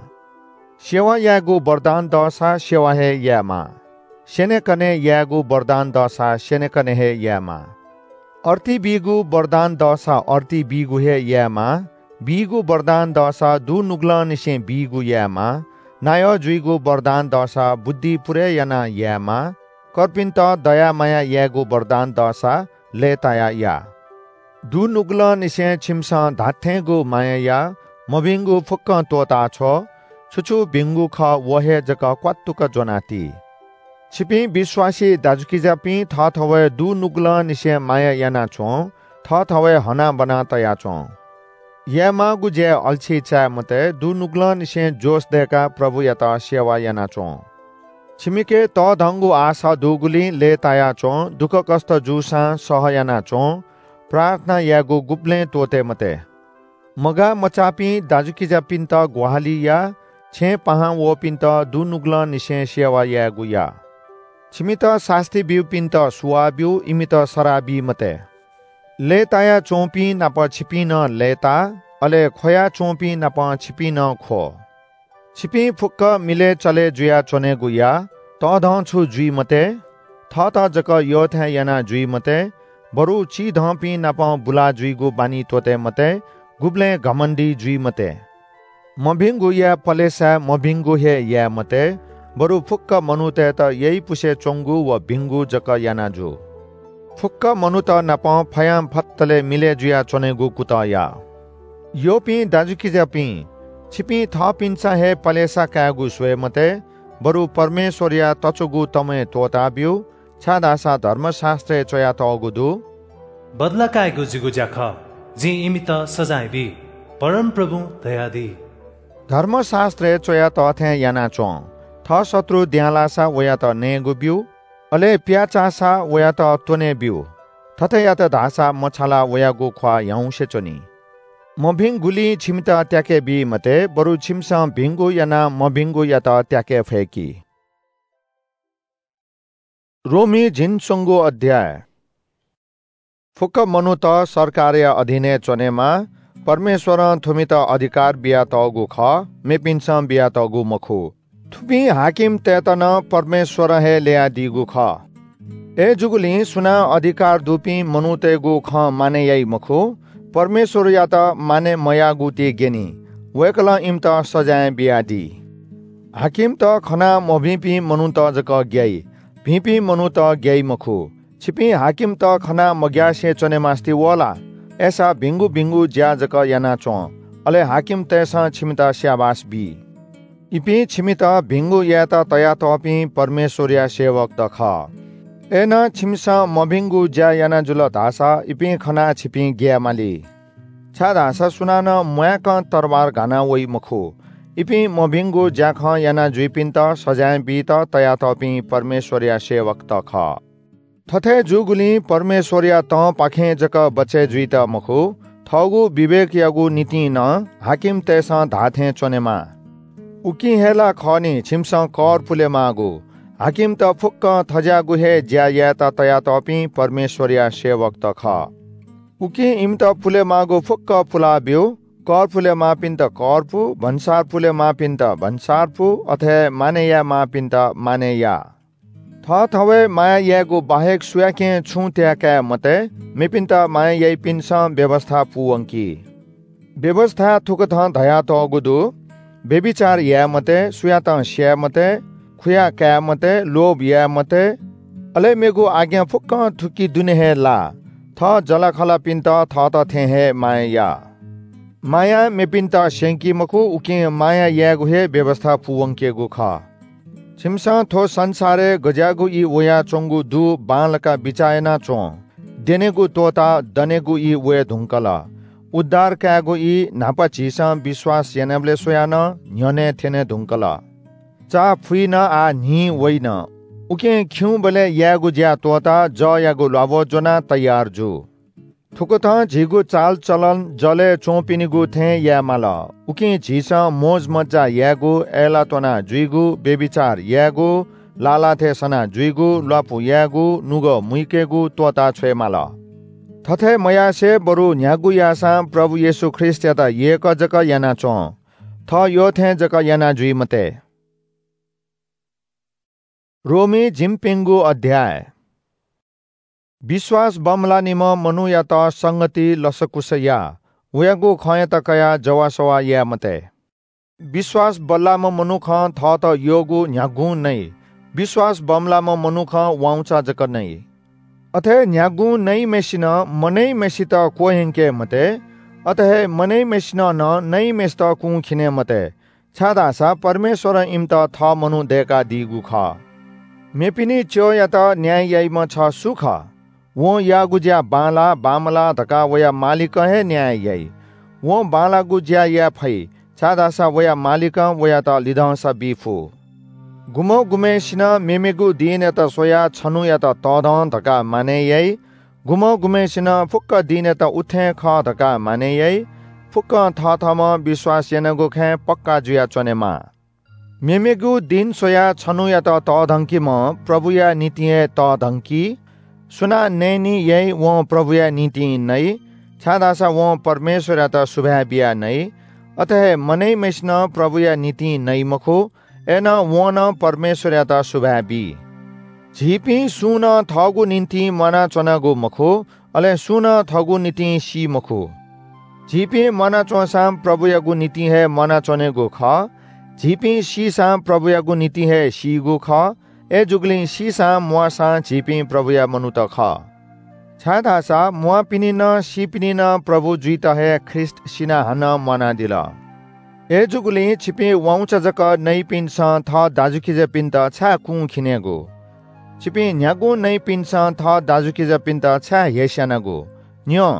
सेवा यायेगु वरदान दःसा सेवा हे यायेमाः। स्यनेकने यायेगु वरदान दःसा स्यनेकने हे यायेमाः। अर्ती बीगु वरदान दःसा अर्ती बीगु हे यायेमाः। बीगु वरदान दःसा दुनुगलंनिसें बीगु यायेमाः। नायः जुइगु वरदान दःसा बुद्धि पुरय् यानाः यायेमाः। कर्पिन्त दया माया यायेगु वरदान दःसा लय्तायाः या। दुनुगलंनिसें छिमिसं धात्थेंगु माया या, मभिंगु फुक्कं त्वःताछ्व। छु छु भिंगु खः, व हे जक क्वातुक ज्वनाति। छिपिं विश्वासी दाजुकिजापिं, थःथवय् दुनुगलंनिसें माया यानाच्वँ, थःथवय् हनाबना तयाच्वँ। यायेमाःगु ज्याय् अल्छि चाये मते, दुनुगलंनिसें जोश दय्काः प्रभुयात सेवा यानाच्वँ। छिमिके तःधंगु आशा दुगुलिं लय्तायाच्वँ, दुःखकष्ट जूसां सह यानाच्वँ, प्रार्थना यायेगु गुबलें त्वःते मते। मगाः मचाःपिं दाजुकिजापिन्त ग्वाहालि या, छेँय् पाहां वःपिन्त दुनुगलंनिसें सेवा यायेगु या। छिमित सास्ती ब्यूपिन्त सुवाः ब्यु, इमित सराः बी मते। लय्ताया च्वंपिं नाप छिपिं नं लय्ता, अले ख्वया च्वंपिं नाप छिपिं नं ख्व। छिपिं फुक्क मिलय् चले जुया च्वनेगु या। तःधंछु जुइ मते, थःत जक यःथें याना जुइ मते, बरु चिधंपिं नाप बुला जुइगु बानी त्वते मते, गुबलें घमण्डी जुइ मते। मभिंगु याये पलेसाय् मभिंगु हे याये मते, बरु फुक्क मनूतय्त याइपुसे च्वंगु व भिंगु जक याना जु। फुक्क मनूत नाप फयां फत्तले मिलय् जुया च्वनेगु कुतः या। यःपिं दाजुकिजापिं, छिपिं थःपिन्सं हे पलेसा कायेगु स्वये मते, बरु परमेश्वरया तच्वःगु तमय् त्वःता ब्यु, छाय्धाःसा धर्मशास्त्रय् च्वयातःगु दु, "बदला कायेगु जिगु ज्या खः, जिं इमित सजाँय बी, परमप्रभुं धयादी।" धर्मशास्त्रय् च्वयातः थें याना च्वँ, "थः शत्रु द्यांलाःसा वयात नयेगु ब्यु, अले प्याचाःसा वयात त्वने ब्यु। थथे यात धाःसा मछालाः वयागु ख्वाः ह्याउँसे च्वनी।" मभिंगुलिं छिमित त्याके बी मते, बरु छिमिसं भिंगु यानाः मभिंगुयात त्याके फय्की। रोमी झिंच्वंगु अध्याय। फुक्क मनूत सरकारया अधीनय् च्वनेमाः। परमेश्वरं थुमित अधिकार बियातःगु खः, मेपिन्सं बियातःगु मखु। थुपिं हाकिमतय्त नं परमेश्वरं हे ल्ययादीगु खः। अय्जूगुलिं सुनां अधिकार दुपिं मनूतय्गु खँ मानय् याइ मखु, परमेश्वरयात मानय् मयाःगु ति ग्यनी, वय्कलं इमित सजाँय बियादी। हाकिमत खना मभिंपिं मनूत जक ग्याइ, भिंपिं मनूत ग्याइ मखु। छिपिं हाकिमत खना मग्यासे च्वनेमास्ति वः ला? अय्सा भिंगु भिंगु ज्या जक याना च्वँ, अले हाकिमतय्सं छिमित स्याबास बी। इपिं छिमित भिंगु यायेत तयातःपिं परमेश्वरया सेवकत खः। अय्नं छिमिसं मभिंगु ज्या याना जुल धाःसा इपिं खनाः छिपिं ग्याये माली। छाय्धाःसा सुनानं म्वाय्कं तरवार घाना वइ मखु। इपिं मभिंगु ज्याखँ याना जुइपिन्त सजाँय बीत तयातःपिं परमेश्वरया सेवकत खः। थथे जूगुलिं परमेश्वरया तंपाखें जक बचय् जुइत मखु, थःगु विवेकयागु निंतिं नं हाकिमतय्सं धाःथें च्वनेमाः। उकिं हे ला खः नि, छिमिसं कर पुलेमाःगु। हाकिमत फुक्कं थज्याःगु हे ज्या यायेत तयातःपिं परमेश्वरया सेवकत खः। उकिं इमित पुलेमाःगु फुक्क पुलाब्यु। कर पुलेमाःपिन्त कर पु, भन्सार पुलेमाःपिन्त भन्सार पु, अथे हे मानय् यायेमाःपिन्त मानय् या। थःथवय् माया यायेगु बाहेक सुयाकें छुं त्याये काये मते। मेपिन्त माया याइपिन्सं व्‍यवस्‍था पूवंकी। व्‍यवस्‍थाय् थुकथं धयातःगु दु, "व्‍यभिचार याये मते, सुयातं स्‍याये मते, खुया काये मते, लोभ याये मते।" अले मेगु आज्ञा फुक्‍कं थुकी दुने हे लाः, "थः जःलाखःलापिन्त थःत थें हे माया या।" मायां मेपिन्त स्‍यंकी मखु, उकिं माया यायेगु हे व्‍यवस्‍था पूवंकेगु खः। छिमिसं थ्‍व संसारय् गज्‍याःगु ई वयाच्‍वंगु दु बांलाक बिचाः याना च्‍वँ। द्यनेगु त्‍वःताः दनेगु ई वये धुंकल। उद्धार कायेगु ई न्‍हापा झीसं विश्‍वास यानाबलय् स्वयाः नं न्‍ह्यःने थ्‍यने धुंकल। चा फुइन, आः न्‍हि वइन। उकिं खिउँबलय् यायेगु ज्‍या त्‍वःताः जःयागु ल्‍वाभः ज्‍वनाः तयार जु। थुकथं झीगु चालचलन जलय् च्‍वंपिनिगु थें याये माल। उकिं झीसं मोजमज्‍जा यायेगु, अय्‌लाः त्‍वना जुइगु, व्‍यभिचार यायेगु, लालाथय् सना जुइगु, ल्‍वापु यायेगु, नुगः मुइकेगु त्‍वःता छ्वये माल। थथे मयासें बरु न्‍ह्यागु याःसां प्रभु येशू ख्रीष्‍टयात यय्‌क जक याना च्‍वँ। थः यःथें जक याना जुइ मते। रोमी झिंप्‍यंगू अध्‍याय। विश्‍वास बमलाःनिम्‍ह मनूयात संगति लसकुस या, वयागु खँयात कयाः जवाःसवाः याये मते। विश्‍वास बल्‍लाःम्‍ह मनुखं थःत यःगु न्‍ह्यागुं नइ, विश्‍वास बमलाःम्‍ह मनुखं वाउँचा जक नइ। अथे न्‍ह्यागुं नइम्‍हय्‌सिनं मनइम्‍हय्‌सित क्‍वह्यंके मते, अथे हे मनइम्‍हय्‌सिनं नं नइम्‍हय्‌सित कुंखिने मते, छाय्‌धाःसा परमेश्‍वरं इमित थः मनू दय्‌कादीगु खः। मेपिनि च्‍यःयात न्‍याय याइम्‍ह छ सु खः? वं याःगु ज्‍या बांलाः, बांमलाः धकाः वया मालिकं हे न्‍याय याइ। वं बांलाःगु ज्‍या याये फइ, छाय्‌धाःसा वया मालिकं वयात लिधंसा बी फु। गुम्‍ह गुम्‍हय्‌सिनं मेमेगु दिनयात स्‍वयाः छन्‍हुयात तःधं धकाः मानय् याइ। गुम्‍ह गुम्‍हय्‌सिनं फुक्‍क दिनयात उथें खः धकाः मानय् याइ। फुक्‍कं थथःम्‍हं विश्‍वास यानागु खँय् पक्‍का जुयाच्‍वनेमाः। मेमेगु दिं स्‍वयाः छन्‍हुयात तःधंकीम्‍ह प्रभुया निंतिं हे तःधंकी। सुनां नयेनि याइ, वं प्रभुया निंतिं नइ, छाय्‌धाःसा वं परमेश्‍वरयात सुभाय् बियाः नइ। अथे हे मनय्‌म्‍हय्‌सिनं प्रभुया निंतिं नइ मखु, अय्‌नं वं नं परमेश्‍वरयात सुभाय् बी। झीपिं सुं नं थःगु निंतिं म्‍वानाच्‍वनागु मखु, अले सुं नं थःगु निंतिं सी मखु। झीपिं म्‍वानाच्‍वंसां प्रभुयागु निंतिं हे म्‍वानाच्‍वनेगु खः। झीपिं सीसां प्रभुयागु निंतिं हे सीगु खः। अय्‌जूगुलिं सीसां म्‍वाःसां झीपिं प्रभुया मनूत खः। छाय्‌धाःसा म्‍वाःपिनि नं सीपिनि नं प्रभु जुइत हे ख्रीष्‍ट सिनाः हानं म्‍वानादिल। अय्‌जूगुलिं छिपिं वाउँचा जक नइपिन्‍सं थः दाजुकिजापिन्‍त छाय् कुं खिनेगु? छिपिं न्‍ह्यागुं नइपिन्‍सं थः दाजुकिजापिन्‍त छाय् हेस्‍यानागु? न्‍यँ,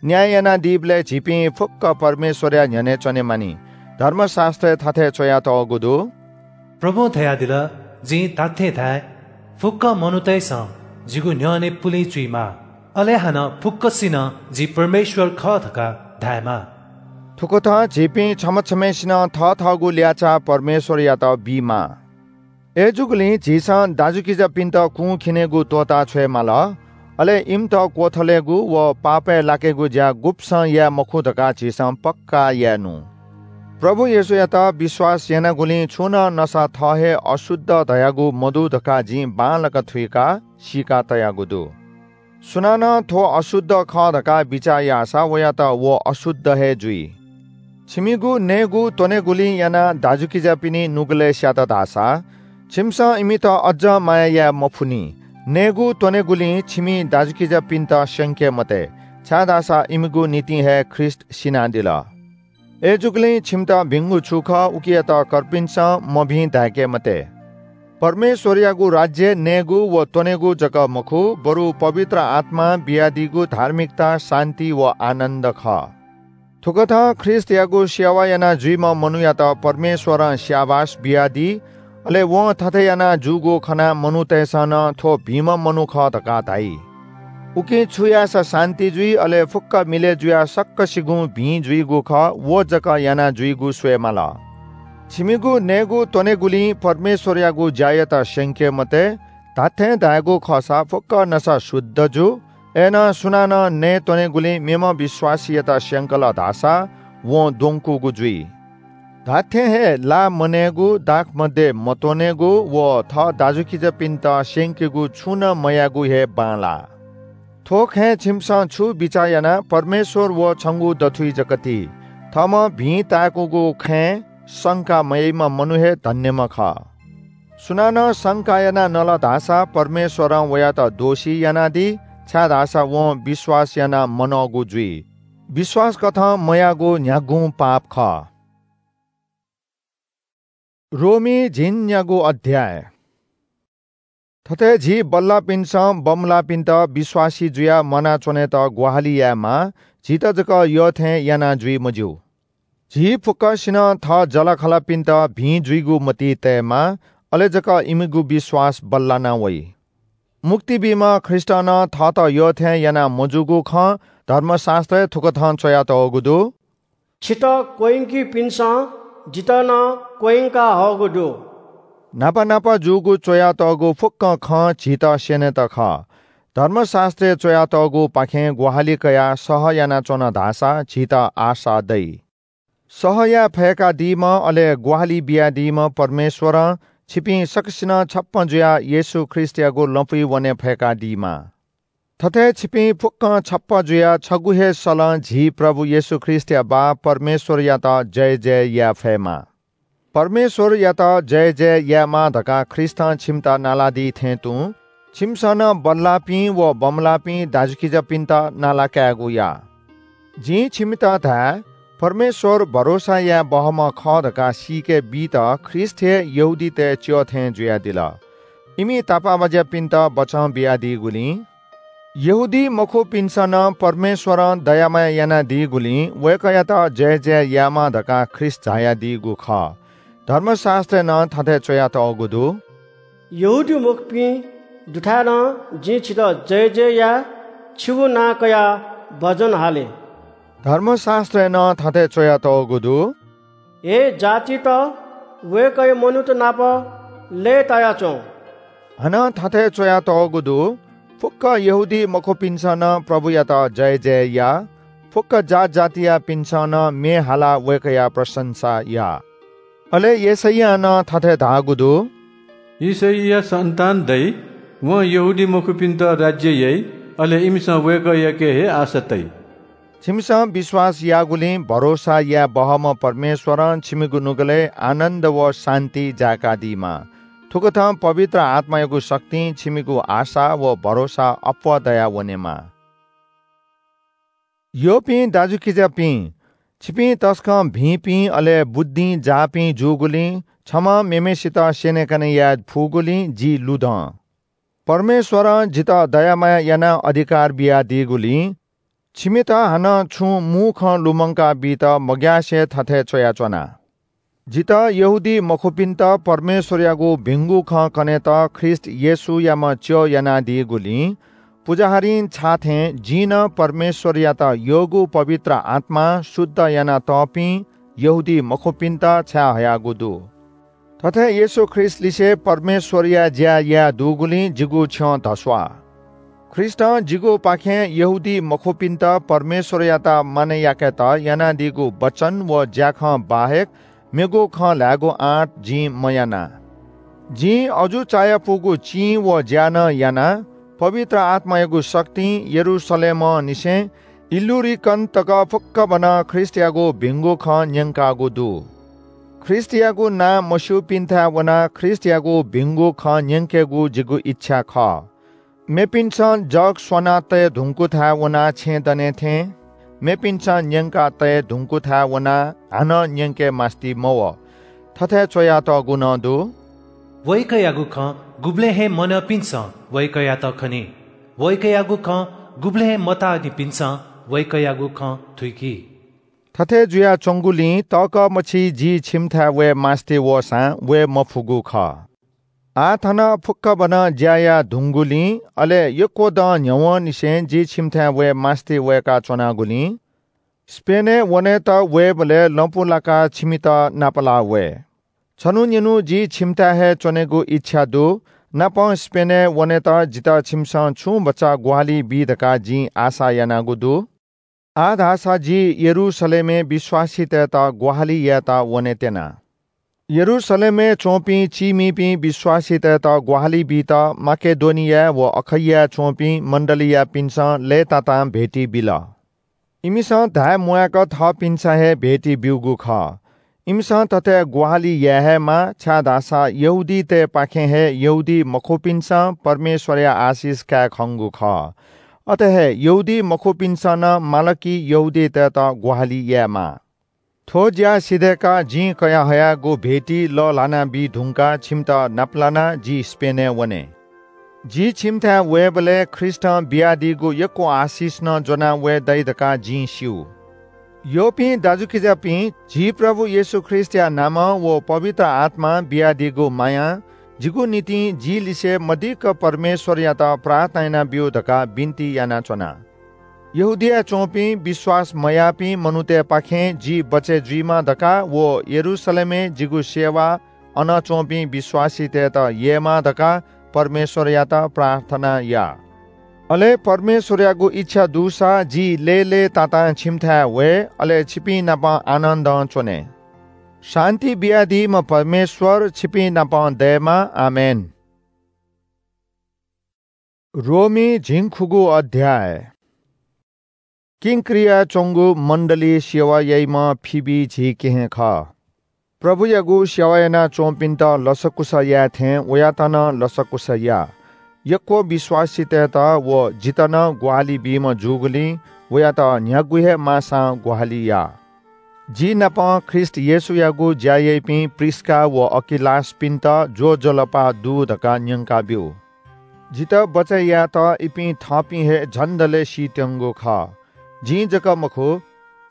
न्‍याय यानादीबलय् झीपिं फुक्‍क परमेश्‍वरया न्‍ह्यःने च्‍वनेमानि। धर्मशास्‍त्रय् थथे च्‍वयातःगु दु – “प्रभुं धयादिल – जिं धात्‍थें धाये – फुक्‍क मनूतय्‌सं जिगु न्‍ह्यःने पुलिं चुइमाः, अले हानं फुक्‍कसिनं जि परमेश्‍वर खः धकाः धायेमाः।” थुकथं झीपिं छम्‍ह छम्‍हय्‌सिनं थःथःगु ल्याःचाः परमेश्‍वरयात बीमाः। अय्‌जूगुलिं झीसं दाजुकिजापिन्‍त कुं खिनेगु त्‍वःता छ्वयेमाल, अले इमित क्‍वथलेगु व पापय् लाकेगु ज्‍या गुब्‍सं याये मखु धकाः झीसं पक्‍का यायेनु। प्रभु येशूयात विश्‍वास यानागुलिं छुं नं नसा थः हे अशुद्ध धयागु मदु धकाः जिं बांलाक थुइकाः सीका तयागु दु। सुनानं थ्‍व अशुद्ध खः धकाः बिचाः याःसा वयात व अशुद्ध हे जुइ। छिमिगु नयेगु त्‍वनेगुलिं यानाः दाजुकिजापिनि नुगलय् स्‍यात धाःसा, छिमिसं इमित अज्‍जं माया याये मफुनि। नयेगु त्‍वनेगुलिं छिमि दाजुकिजापिन्‍त स्‍यंके मते, छाय्‌धाःसा इमिगु निंतिं हे ख्रीष्‍ट सिनादिल। अय्‌जूगुलिं छिमित भिंगु छु खः, उकियात कर्पिन्‍सं मभिं धाय्‌के मते। परमेश्‍वरयागु राज्‍य नयेगु व त्‍वनेगु जक मखु, बरु पवित्र आत्‍मां बियादीगु धार्मिकता, शान्‍ति व आनन्‍द खः। थुकथं ख्रीष्‍टयागु सेवा याना जुइम्‍ह मनूयात परमेश्‍वरं स्‍याबास बियादी। अले वं थथे याना जूगु खनाः मनूतय्‌सं नं थ्‍व भिंम्‍ह मनू खः धकाः धाइ। उकिं छु याःसा शान्‍ति जुइ, अले फुक्‍क मिलय् जुयाः सकसिगुं भिं जुइगु खः, व जक याना जुइगु स्वयेमाल। छिमिगु नयेगु त्‍वनेगुलिं परमेश्‍वरयागु ज्‍यायात स्‍यंके मते। धात्‍थें धायेगु खःसा फुक्‍क नसा शुद्ध जू। अय्‌नं सुनानं नये त्‍वनेगुलिं मेम्‍ह विश्‍वासीयात स्‍यंकल धाःसा वं द्वंकूगु जुइ। धात्‍थें हे ला मनयेगु, दाखमद्य मत्‍वनेगु व थः दाजुकिजापिन्‍त स्‍यंकेगु छुं नं मयायेगु हे बांलाः। थ्‍व खँय् छिमिसं छु बिचाः यानाः परमेश्‍वर व छंगु दथुइ जक ति। थःम्‍हं भिं ताय्‌कूगु खँय् संका मयाइम्‍ह मनू हे धन्‍यम्‍ह खः। सुनानं संका यानाः नल धाःसा परमेश्‍वरं वयात दोषी यानादी, छाय्‌धाःसा वं विश्‍वास यानाः मनःगु जुइ। विश्‍वास कथं मयाःगु न्‍ह्यागुं पाप खः। रोमी झिंन्‍यागू अध्‍याय। थथे झी बल्‍लाःपिन्‍सं बमलाःपिन्‍त विश्‍वासी जुयाः म्‍वानाच्‍वनेत ग्‍वाहालि यायेमाः, झीत जक यःथें याना जुइ मज्‍यू। झी फुक्‍कसिनं थः जःलाखःलापिन्‍त भिं जुइगु मतिइ तयेमाः, अले जक इमिगु विश्‍वास बल्‍लाना वइ। मुक्ति बीम्‍ह ख्रीष्‍टं नं थःत यःथें याना मजूगु खँ धर्मशास्‍त्रय् थुकथं च्‍वयातःगु दु – “छितः क्‍वह्यंकीपिन्‍सं जितः नं क्‍वह्यंका हःगु दु।” न्‍हापा न्‍हापा जूगु च्‍वयातःगु फुक्‍क खँ झीत स्‍यनेत खः। धर्मशास्‍त्रय् च्‍वयातःगुपाखें ग्‍वाहालि कयाः सह यानाच्‍वन धाःसा झीत आशा दइ। सह याये फय्‌कादीम्‍ह, अले ग्‍वाहालि बियादीम्‍ह परमेश्‍वरं छिपिं सकसिनं छप्‍पँ जुयाः येशू ख्रीष्‍टयागु लँपुइ वने फय्‌कादीमा। थथे छिपिं फुक्‍कं छप्‍पँ जुयाः छगू हे सलं झी प्रभु येशू ख्रीष्‍टया बाः परमेश्‍वरयात जयजय याये फयेमा। परमेश्‍वरयात जयजय यायेमा धकाः ख्रीष्‍टं छिमित नालादी थें तुं छिमिसं नं बल्‍लाःपिं व बमलाःपिं दाजुकिजापिन्‍त नाला कायेगु या। जिं छिमित धाये, परमेश्‍वर भरोसा याये बहःम्‍ह खः धकाः सीके बीत ख्रीष्‍ट हे यहूदीतय् च्‍यः थें जुयादिल। इमि तापाःबाज्‍यापिन्‍त बचं बियादीगुलिं यहूदी मखुपिन्‍सं नं परमेश्‍वरं दया माया यानादीगुलिं वय्‌कःयात जयजय यायेमा धकाः ख्रीष्‍ट झायादीगु खः। धर्मशास्‍त्रय् नं थथे च्‍वयातःगु दु – “यहूदीमखुपिं दुथाय् नं जिं छितः जयजय याये, छिगु नां कयाः भजन हाले।” धर्मशास्‍त्रय् नं थथे च्‍वयातःगु दु – “हे जातित, वय्‌कःया मनूत नाप लय्‌ताया च्वं।" हानं थथे च्वयातःगु दु, फुक्क यहूदीमखुपिन्सं नं प्रभुयात जयजय या। फुक्क जात जातियापिन्सं नं म्ये हालाः वय्‌कःया प्रशंसा या। अले यशैयां नं थथे धाःगु दु, "यिशैया सन्तान दइ, वं यहूदीमखुपिन्त राज्य याइ, अले इमिसं वय्‌कःयाके हे आशा तइ।" छिमिसं विश्वास याःगुलिं भरोसा याये बहःम्ह परमेश्वरं छिमिगु नुगलय् आनन्द व शान्ति जाय्‌कादीमा। थुकथं पवित्र आत्मायागु शक्तिं छिमिगु आशा व भरोसा अप्वः दया वनेमा। यःपिं दाजुकिजापिं, छिपिं तसकं भिंपिं अले बुद्धिं जाःपिं जूगुलिं छम्हं मेम्हय्‌सित स्यनेकने याये फुगुलिं जि लुधं। परमेश्वरं जितः दया माया यानाः अधिकार बियादीगुलिं छिमित हानं छुं मू खँ लुमंका बीत मग्यासे थथे च्वयाच्वना। जितः यहूदीमखुपिन्त परमेश्वरयागु भिंगु खँ कनेत ख्रीष्ट येशूयाम्ह च्यः यानादीगुलिं पुजाहारीं छाःथें जिं नं परमेश्वरयात यःगु पवित्र आत्मां शुद्ध यानातःपिं यहूदीमखुपिन्त छाय्‌हयागु दु। थथे येशू ख्रीष्टलिसे परमेश्वरया ज्या याये दुगुलिं जिगु छ्यं धस्वाः। ख्रीष्टं जिगुपाखें यहूदीमखुपिन्त परमेश्वरयात मानय् याकेत यानादीगु वचन व ज्याखँ बाहेक मेगु खँ ल्हायेगु आँट जिं मयाना। जिं अजू चायापुगु चिं व ज्या नं यानाः पवित्र आत्मायागु शक्तिं यरूशलेमंनिसें इल्‍लुरिकन तक फुक्कभनं ख्रीष्टयागु भिंगु खँ न्‍यंकागु दु। ख्रीष्टयागु नां मस्‍यूपिन्‍थाय् वनाः ख्रीष्टयागु भिंगु खँ न्‍यंकेगु जिगु इच्छा खः। मेपिन्‍सं जग स्‍वना तये धुंकूथाय् वनाः छेँ दने थें मेपिन्‍सं न्‍यंका तये धुंकूथाय् वनाः हानं न्‍यंके मास्‍ति मवः। थथे च्‍वयातःगु नं दु, "वय्‌कःयागु खँ गुबलें हे मनःपिन्‍सं वय्‌कःयात खनी। वय्‌कःयागु खँ गुबलें हे मताःनिपिन्‍सं वय्‌कःयागु खँ थुइकी।" थथे जुयाच्‍वंगुलिं तःकः मछि जि छिमिथाय् वये मास्‍ति वःसां वये मफुगु खः। आः थन फुक्‍कभनं ज्‍या याये धुंगुलिं, अले यक्‍व दँ न्‍ह्यवंनिसें जि छिमिथाय् वये मास्‍ति वय्‌काच्‍वनागुलिं, स्‍पेनय् वनेत वयेबलय् लँपु लाकाः छिमित नापलाः वये। छन्‍हु निन्‍हु जि छिमिथाय् हे च्‍वनेगु इच्छा दु। नापं स्‍पेनय् वनेत जितः छिमिसं छुं भचा ग्‍वाहालि बी धकाः जिं आशा यानागु दु। आः धाःसा जि यरूशलेमय् विश्‍वासीतय्‌त ग्‍वाहालि यायेत वनेत्यना। यरूशलेमय् च्‍वंपिं चीमिपिं विश्‍वासीतय्‌त ग्‍वाहालि बीत माकेडोनियाय् व अखैयाय् च्‍वंपिं मण्‍डलीयापिन्‍सं लय्‌तातां भेटी बिल। इमिसं धाये म्‍वायेक थःपिन्‍सं हे भेटी ब्‍यूगु खः। इमिसं थथे ग्‍वाहालि याये हे माः, छाय्‌धाःसा यहूदीतय्‌पाखें हे यहूदीमखुपिन्‍सं परमेश्‍वरया आशिष काये खंगु खः। अथे हे यहूदीमखुपिन्‍सं नं माल कि यहूदीतय्‌त ग्‍वाहालि यायेमाः। थ्‍व ज्‍या सिधय्‌काः जिं कयाहयागु भेटी लःल्‍हाना बी धुंकाः छिमित नापलानाः जि स्‍पेनय् वने। जि छिमिथाय् वयेबलय् ख्रीष्‍टं बियादीगु यक्‍व आशिष नं ज्‍वना वये दइ धकाः जिं स्‍यू। यःपिं दाजुकिजापिं, झी प्रभु येशू ख्रीष्‍टया नामं व पवित्र आत्‍मां बियादीगु मायां जिगु निंतिं जि लिसे मदिक्‍क परमेश्‍वरयात प्रार्थना यानाब्‍यु धकाः बिन्‍ति यानाच्‍वना। यहूदियाय् च्‍वंपिं विश्‍वास मयाःपिं मनूतय्‌पाखें जि बचय् जुइमा धकाः व यरूशलेमय् जिगु सेवा अन च्‍वंपिं विश्‍वासीतय्‌त ययेमा धकाः परमेश्‍वरयात प्रार्थना या। अले परमेश्‍वरयागु इच्‍छा दुसा जि लय्‌लय्‌तातां छिमिथाय् वये, अले छिपिं नाप आनन्दं च्‍वने। शान्‍ति बियादीम्‍ह परमेश्‍वर छिपिं नाप दयेमा। आमेन। रोमी झिंखुगू अध्‍याय। किंक्रियाय् च्‍वंगु मण्‍डलीइ सेवा याइम्‍ह फिबी झी केहेँ खः। प्रभुयागु सेवा यानाच्‍वंपिन्‍त लसकुस याये थें वयात नं लसकुस या। यक्‍व विश्‍वासीतय्‌त व जितः नं ग्‍वाहालि बीम्‍ह जूगुलिं वयात न्‍ह्यागु हे माःसां ग्‍वाहालि या। जि नाप ख्रीष्‍ट येशूयागु ज्‍या याइपिं प्रिस्‍का व अकिलासपिन्‍त ज्‍वजलपा दु धकाः न्‍यंकाब्‍यु। जितः बचय् यायेत इपिं थःपिं हे झन्‍दलय् सीत्‍यंगु खः। जिं जक मखु,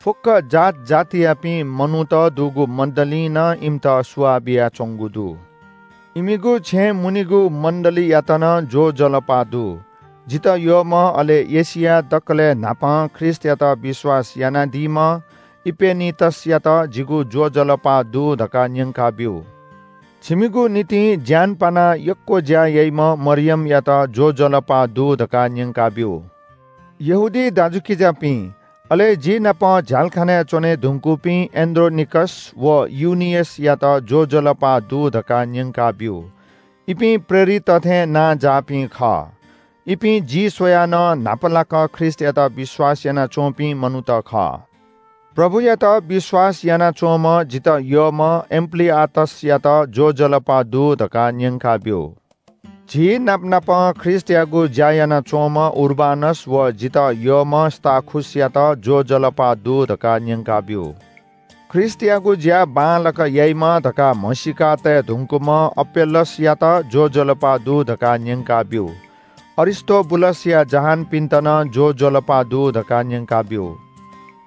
फुक्‍क जात जातियापिं मनूत दुगु मण्‍डलीं नं इमित सुवाः बियाच्‍वंगु दु। इमिगु छेँय् मुनिगु मण्‍डलीयात नं ज्‍वजलपा दु। जितः यःम्‍ह, अले एशियाय् दकलय् न्‍हापां ख्रीष्‍टयात विश्‍वास यानादीम्‍ह इपेनितसयात जिगु ज्‍वजलपा दु धकाः न्‍यंकाब्‍यु। छिमिगु निंतिं ज्यान पानाः यक्व ज्या याइम्ह मरियमयात ज्वजलपा दु धकाः न्यंकाब्यु। यहूदी दाजुकिजापिं, अले जि नाप झ्यालखानाय् च्वने धुंकूपिं एन्‍ड्रोनिकस व युनियसयात ज्वजलपा दु धकाः न्यंकाब्यु। इपिं प्रेरितत थें नांजाःपिं खः। इपिं जि स्वयाः नं न्‍हापालाक ख्रीष्‍टयात विश्‍वास यानाच्‍वंपिं मनूत खः। प्रभुयात विश्‍वास यानाच्‍वंम्‍ह जितः यःम्‍ह एम्‍प्‍लिआतसयात ज्‍वजलपा दु धकाः न्‍यंकाब्‍यु। झी नापनापं ख्रीष्‍टयागु ज्‍या यानाच्‍वंम्‍ह उर्बानस व जितः यःम्‍ह स्‍ताखुसयात ज्‍वजलपा दु धकाः न्‍यंकाब्‍यु। ख्रीष्‍टयागु ज्‍या बांलाक याइमा धकाः म्हसीका तये धुंकूम्‍ह अपेल्‍लसयात ज्‍वजलपा दु धकाः न्‍यंकाब्‍यु। अरिस्‍तोबुलसया जहानपिन्‍त नं ज्‍वजलपा दु धकाः न्‍यंकाब्‍यु।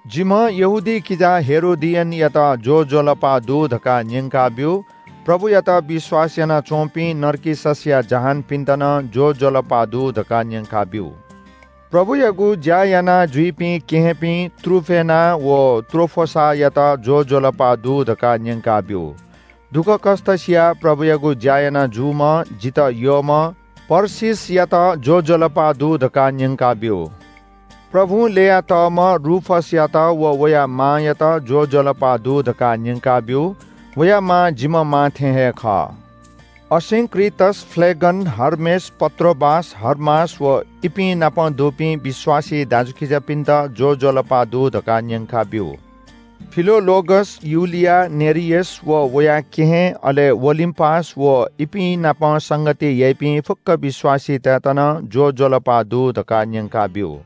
जिम्‍ह यहूदी किजा हेरोदियनयात ज्‍वजलपा दु धकाः न्‍यंकाब्‍यु। प्रभुयात विश्‍वास यानाच्‍वंपिं नर्किससया जहानपिन्‍त नं ज्‍वजलपा दु धकाः न्‍यंकाब्‍यु। प्रभुयागु ज्‍या याना जुइपिं केहेँपिं त्रुफेना व त्रोफोसायात ज्‍वजलपा दु धकाः न्‍यंकाब्‍यु। दुःखकष्‍ट सियाः प्रभुयागु ज्‍या याना जूम्‍ह जितः यःम्‍ह पर्सिसयात ज्‍वजलपा दु धकाः न्‍यंकाब्‍यु। प्रभुं ल्‍ययातःम्‍ह रूफसयात व वया मांयात ज्‍वजलपा दु धकाः न्‍यंकाब्‍यु। वया मां जिम्‍ह मां थें हे खः। असिंक्रितस, फ्‍लेगन, हर्मेस, पत्रोबास, हर्मास व इपिं नाप दुपिं विश्‍वासी दाजुकिजापिन्‍त ज्‍वजलपा दु धकाः न्‍यंकाब्‍यु। फिलोलोगस, युलिया, नेरियस व वया केहेँ, अले ओलिम्‍पास व इपिं नाप संगति याइपिं फुक्‍क विश्‍वासीतय्‌त नं ज्‍वजलपा दु धकाः न्‍यंकाब्‍यु।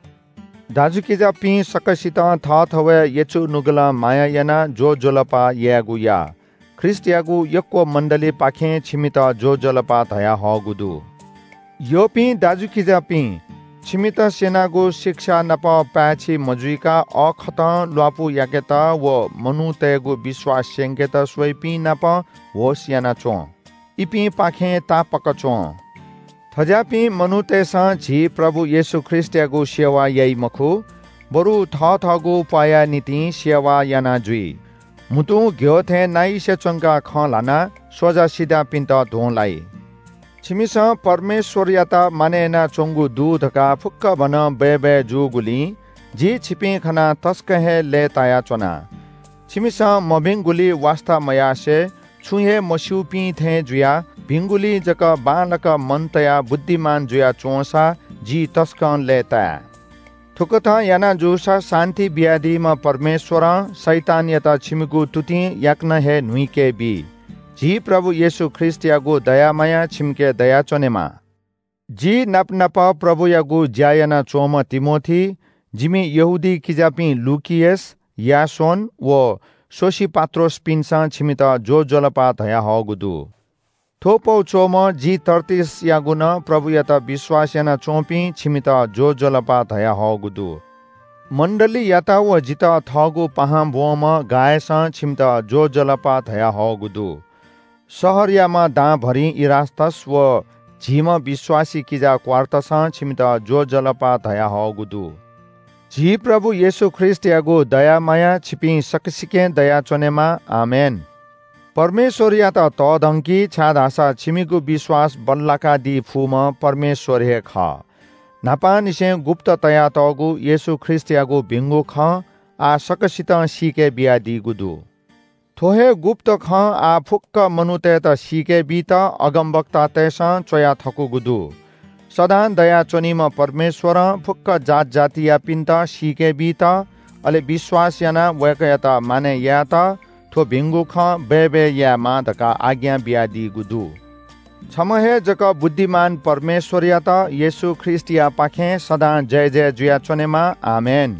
दाजुकिजापिं सकसितं थःथवय् यचुनुगलं माया यानाः ज्‍वजलपा यायेगु या। ख्रीष्‍टयागु यक्‍व मण्‍डलीपाखें छिमित ज्‍वजलपा धयाहःगु दु। यःपिं दाजुकिजापिं, छिमित स्‍यनागु शिक्षा नाप पाय्‌छि मजुइका अःखतं ल्‍वापु याकेत व मनूतय्‌गु विश्‍वास स्‍यंकेत स्‍वइपिं नाप होश यानाच्‍वँ। इपिंपाखें तापाक च्‍वँ। थज्‍याःपिं मनूतय्‌सं झी प्रभु येशू ख्रीष्‍टयागु सेवा याइ मखु, बरु थःथःगु प्‍वाःया निंतिं सेवा याना जुइ। म्‍हुतुं घ्‍यः थें नाइसे च्‍वंकाः खँ ल्‍हानाः स्‍वजा सिधापिन्‍त ध्‍वंलाइ। छिमिसं परमेश्‍वरयात मानय् यानाच्‍वंगु दु धकाः फुक्‍कभनं बय्‌बय् जूगुलिं जि छिपिं खनाः तसकं हे लय्‌तायाच्‍वना। छिमिसं मभिंगुलिइ वास्‍ता मयासें छुं हे मस्‍यूपिं थें जुयाः भिंगुलिइ जक बांलाक मन तयाः बुद्धिमान जुयाच्‍वंसा जि तसकं लय्‌ताये। थुकथं याना जूसा शान्‍ति बियादीम्‍ह परमेश्‍वरं शैतानयात छिमिगु तुतिं याकनं हे न्‍हुइके बी। झी प्रभु येशू ख्रीष्‍टयागु दया माया छिमिके दयाच्‍वनेमा। जि नापनाप प्रभुयागु ज्‍या यानाच्‍वंम्‍ह तिमोथी, जिमि यहूदी किजापिं लुकियस, यासोन व सोसिपात्रोसपिन्‍सं छिमित ज्‍वजलपा धयाहःगु दु। थ्‍व पौ च्‍वःम्‍ह जि तर्तिसयागु नं प्रभुयात विश्‍वास यानाच्‍वंपिं छिमित ज्‍वजलपा धयाहःगु दु। मण्‍डलीयात व जितः थःगु पाहां ब्‍वंम्‍ह गायसं छिमित ज्‍वजलपा धयाहःगु दु। शहरयाम्‍ह दांभरिं इरास्‍तस व झीम्‍ह विश्‍वासी किजा क्‍वार्तसं छिमित ज्‍वजलपा धयाहःगु दु। झी प्रभु येशू ख्रीष्‍टयागु दया माया छिपिं सकसिकें दयाच्‍वनेमा। आमेन। परमेश्‍वरयात तःधंकि, छाय्‌धाःसा छिमिगु विश्‍वास बल्‍लाकादी फुम्‍ह परमेश्‍वर हे खः। न्‍हापांनिसें गुप्‍त तयातःगु येशू ख्रीष्‍टयागु भिंगु खँ आः सकसितं सीके बियादीगु दु। थ्‍व हे गुप्‍त खँ आः फुक्‍क मनूतय्‌त सीके बीत अगमवक्तातय्‌सं च्‍वया थकूगु दु। सदां दयाच्‍वनीम्‍ह परमेश्‍वरं फुक्‍क जात जातियापिन्‍त सीके बीत, अले विश्‍वास यानाः वय्‌कःयात मानय् यायेत थ्‍व भिंगु खँ बय्‌बय् यायेमाः धकाः आज्ञा बियादीगु दु। छम्‍ह हे जक बुद्धिमान परमेश्‍वरयात येशू ख्रीष्‍टयापाखें सदां जयजय जुयाच्‍वनेमा। आमेन।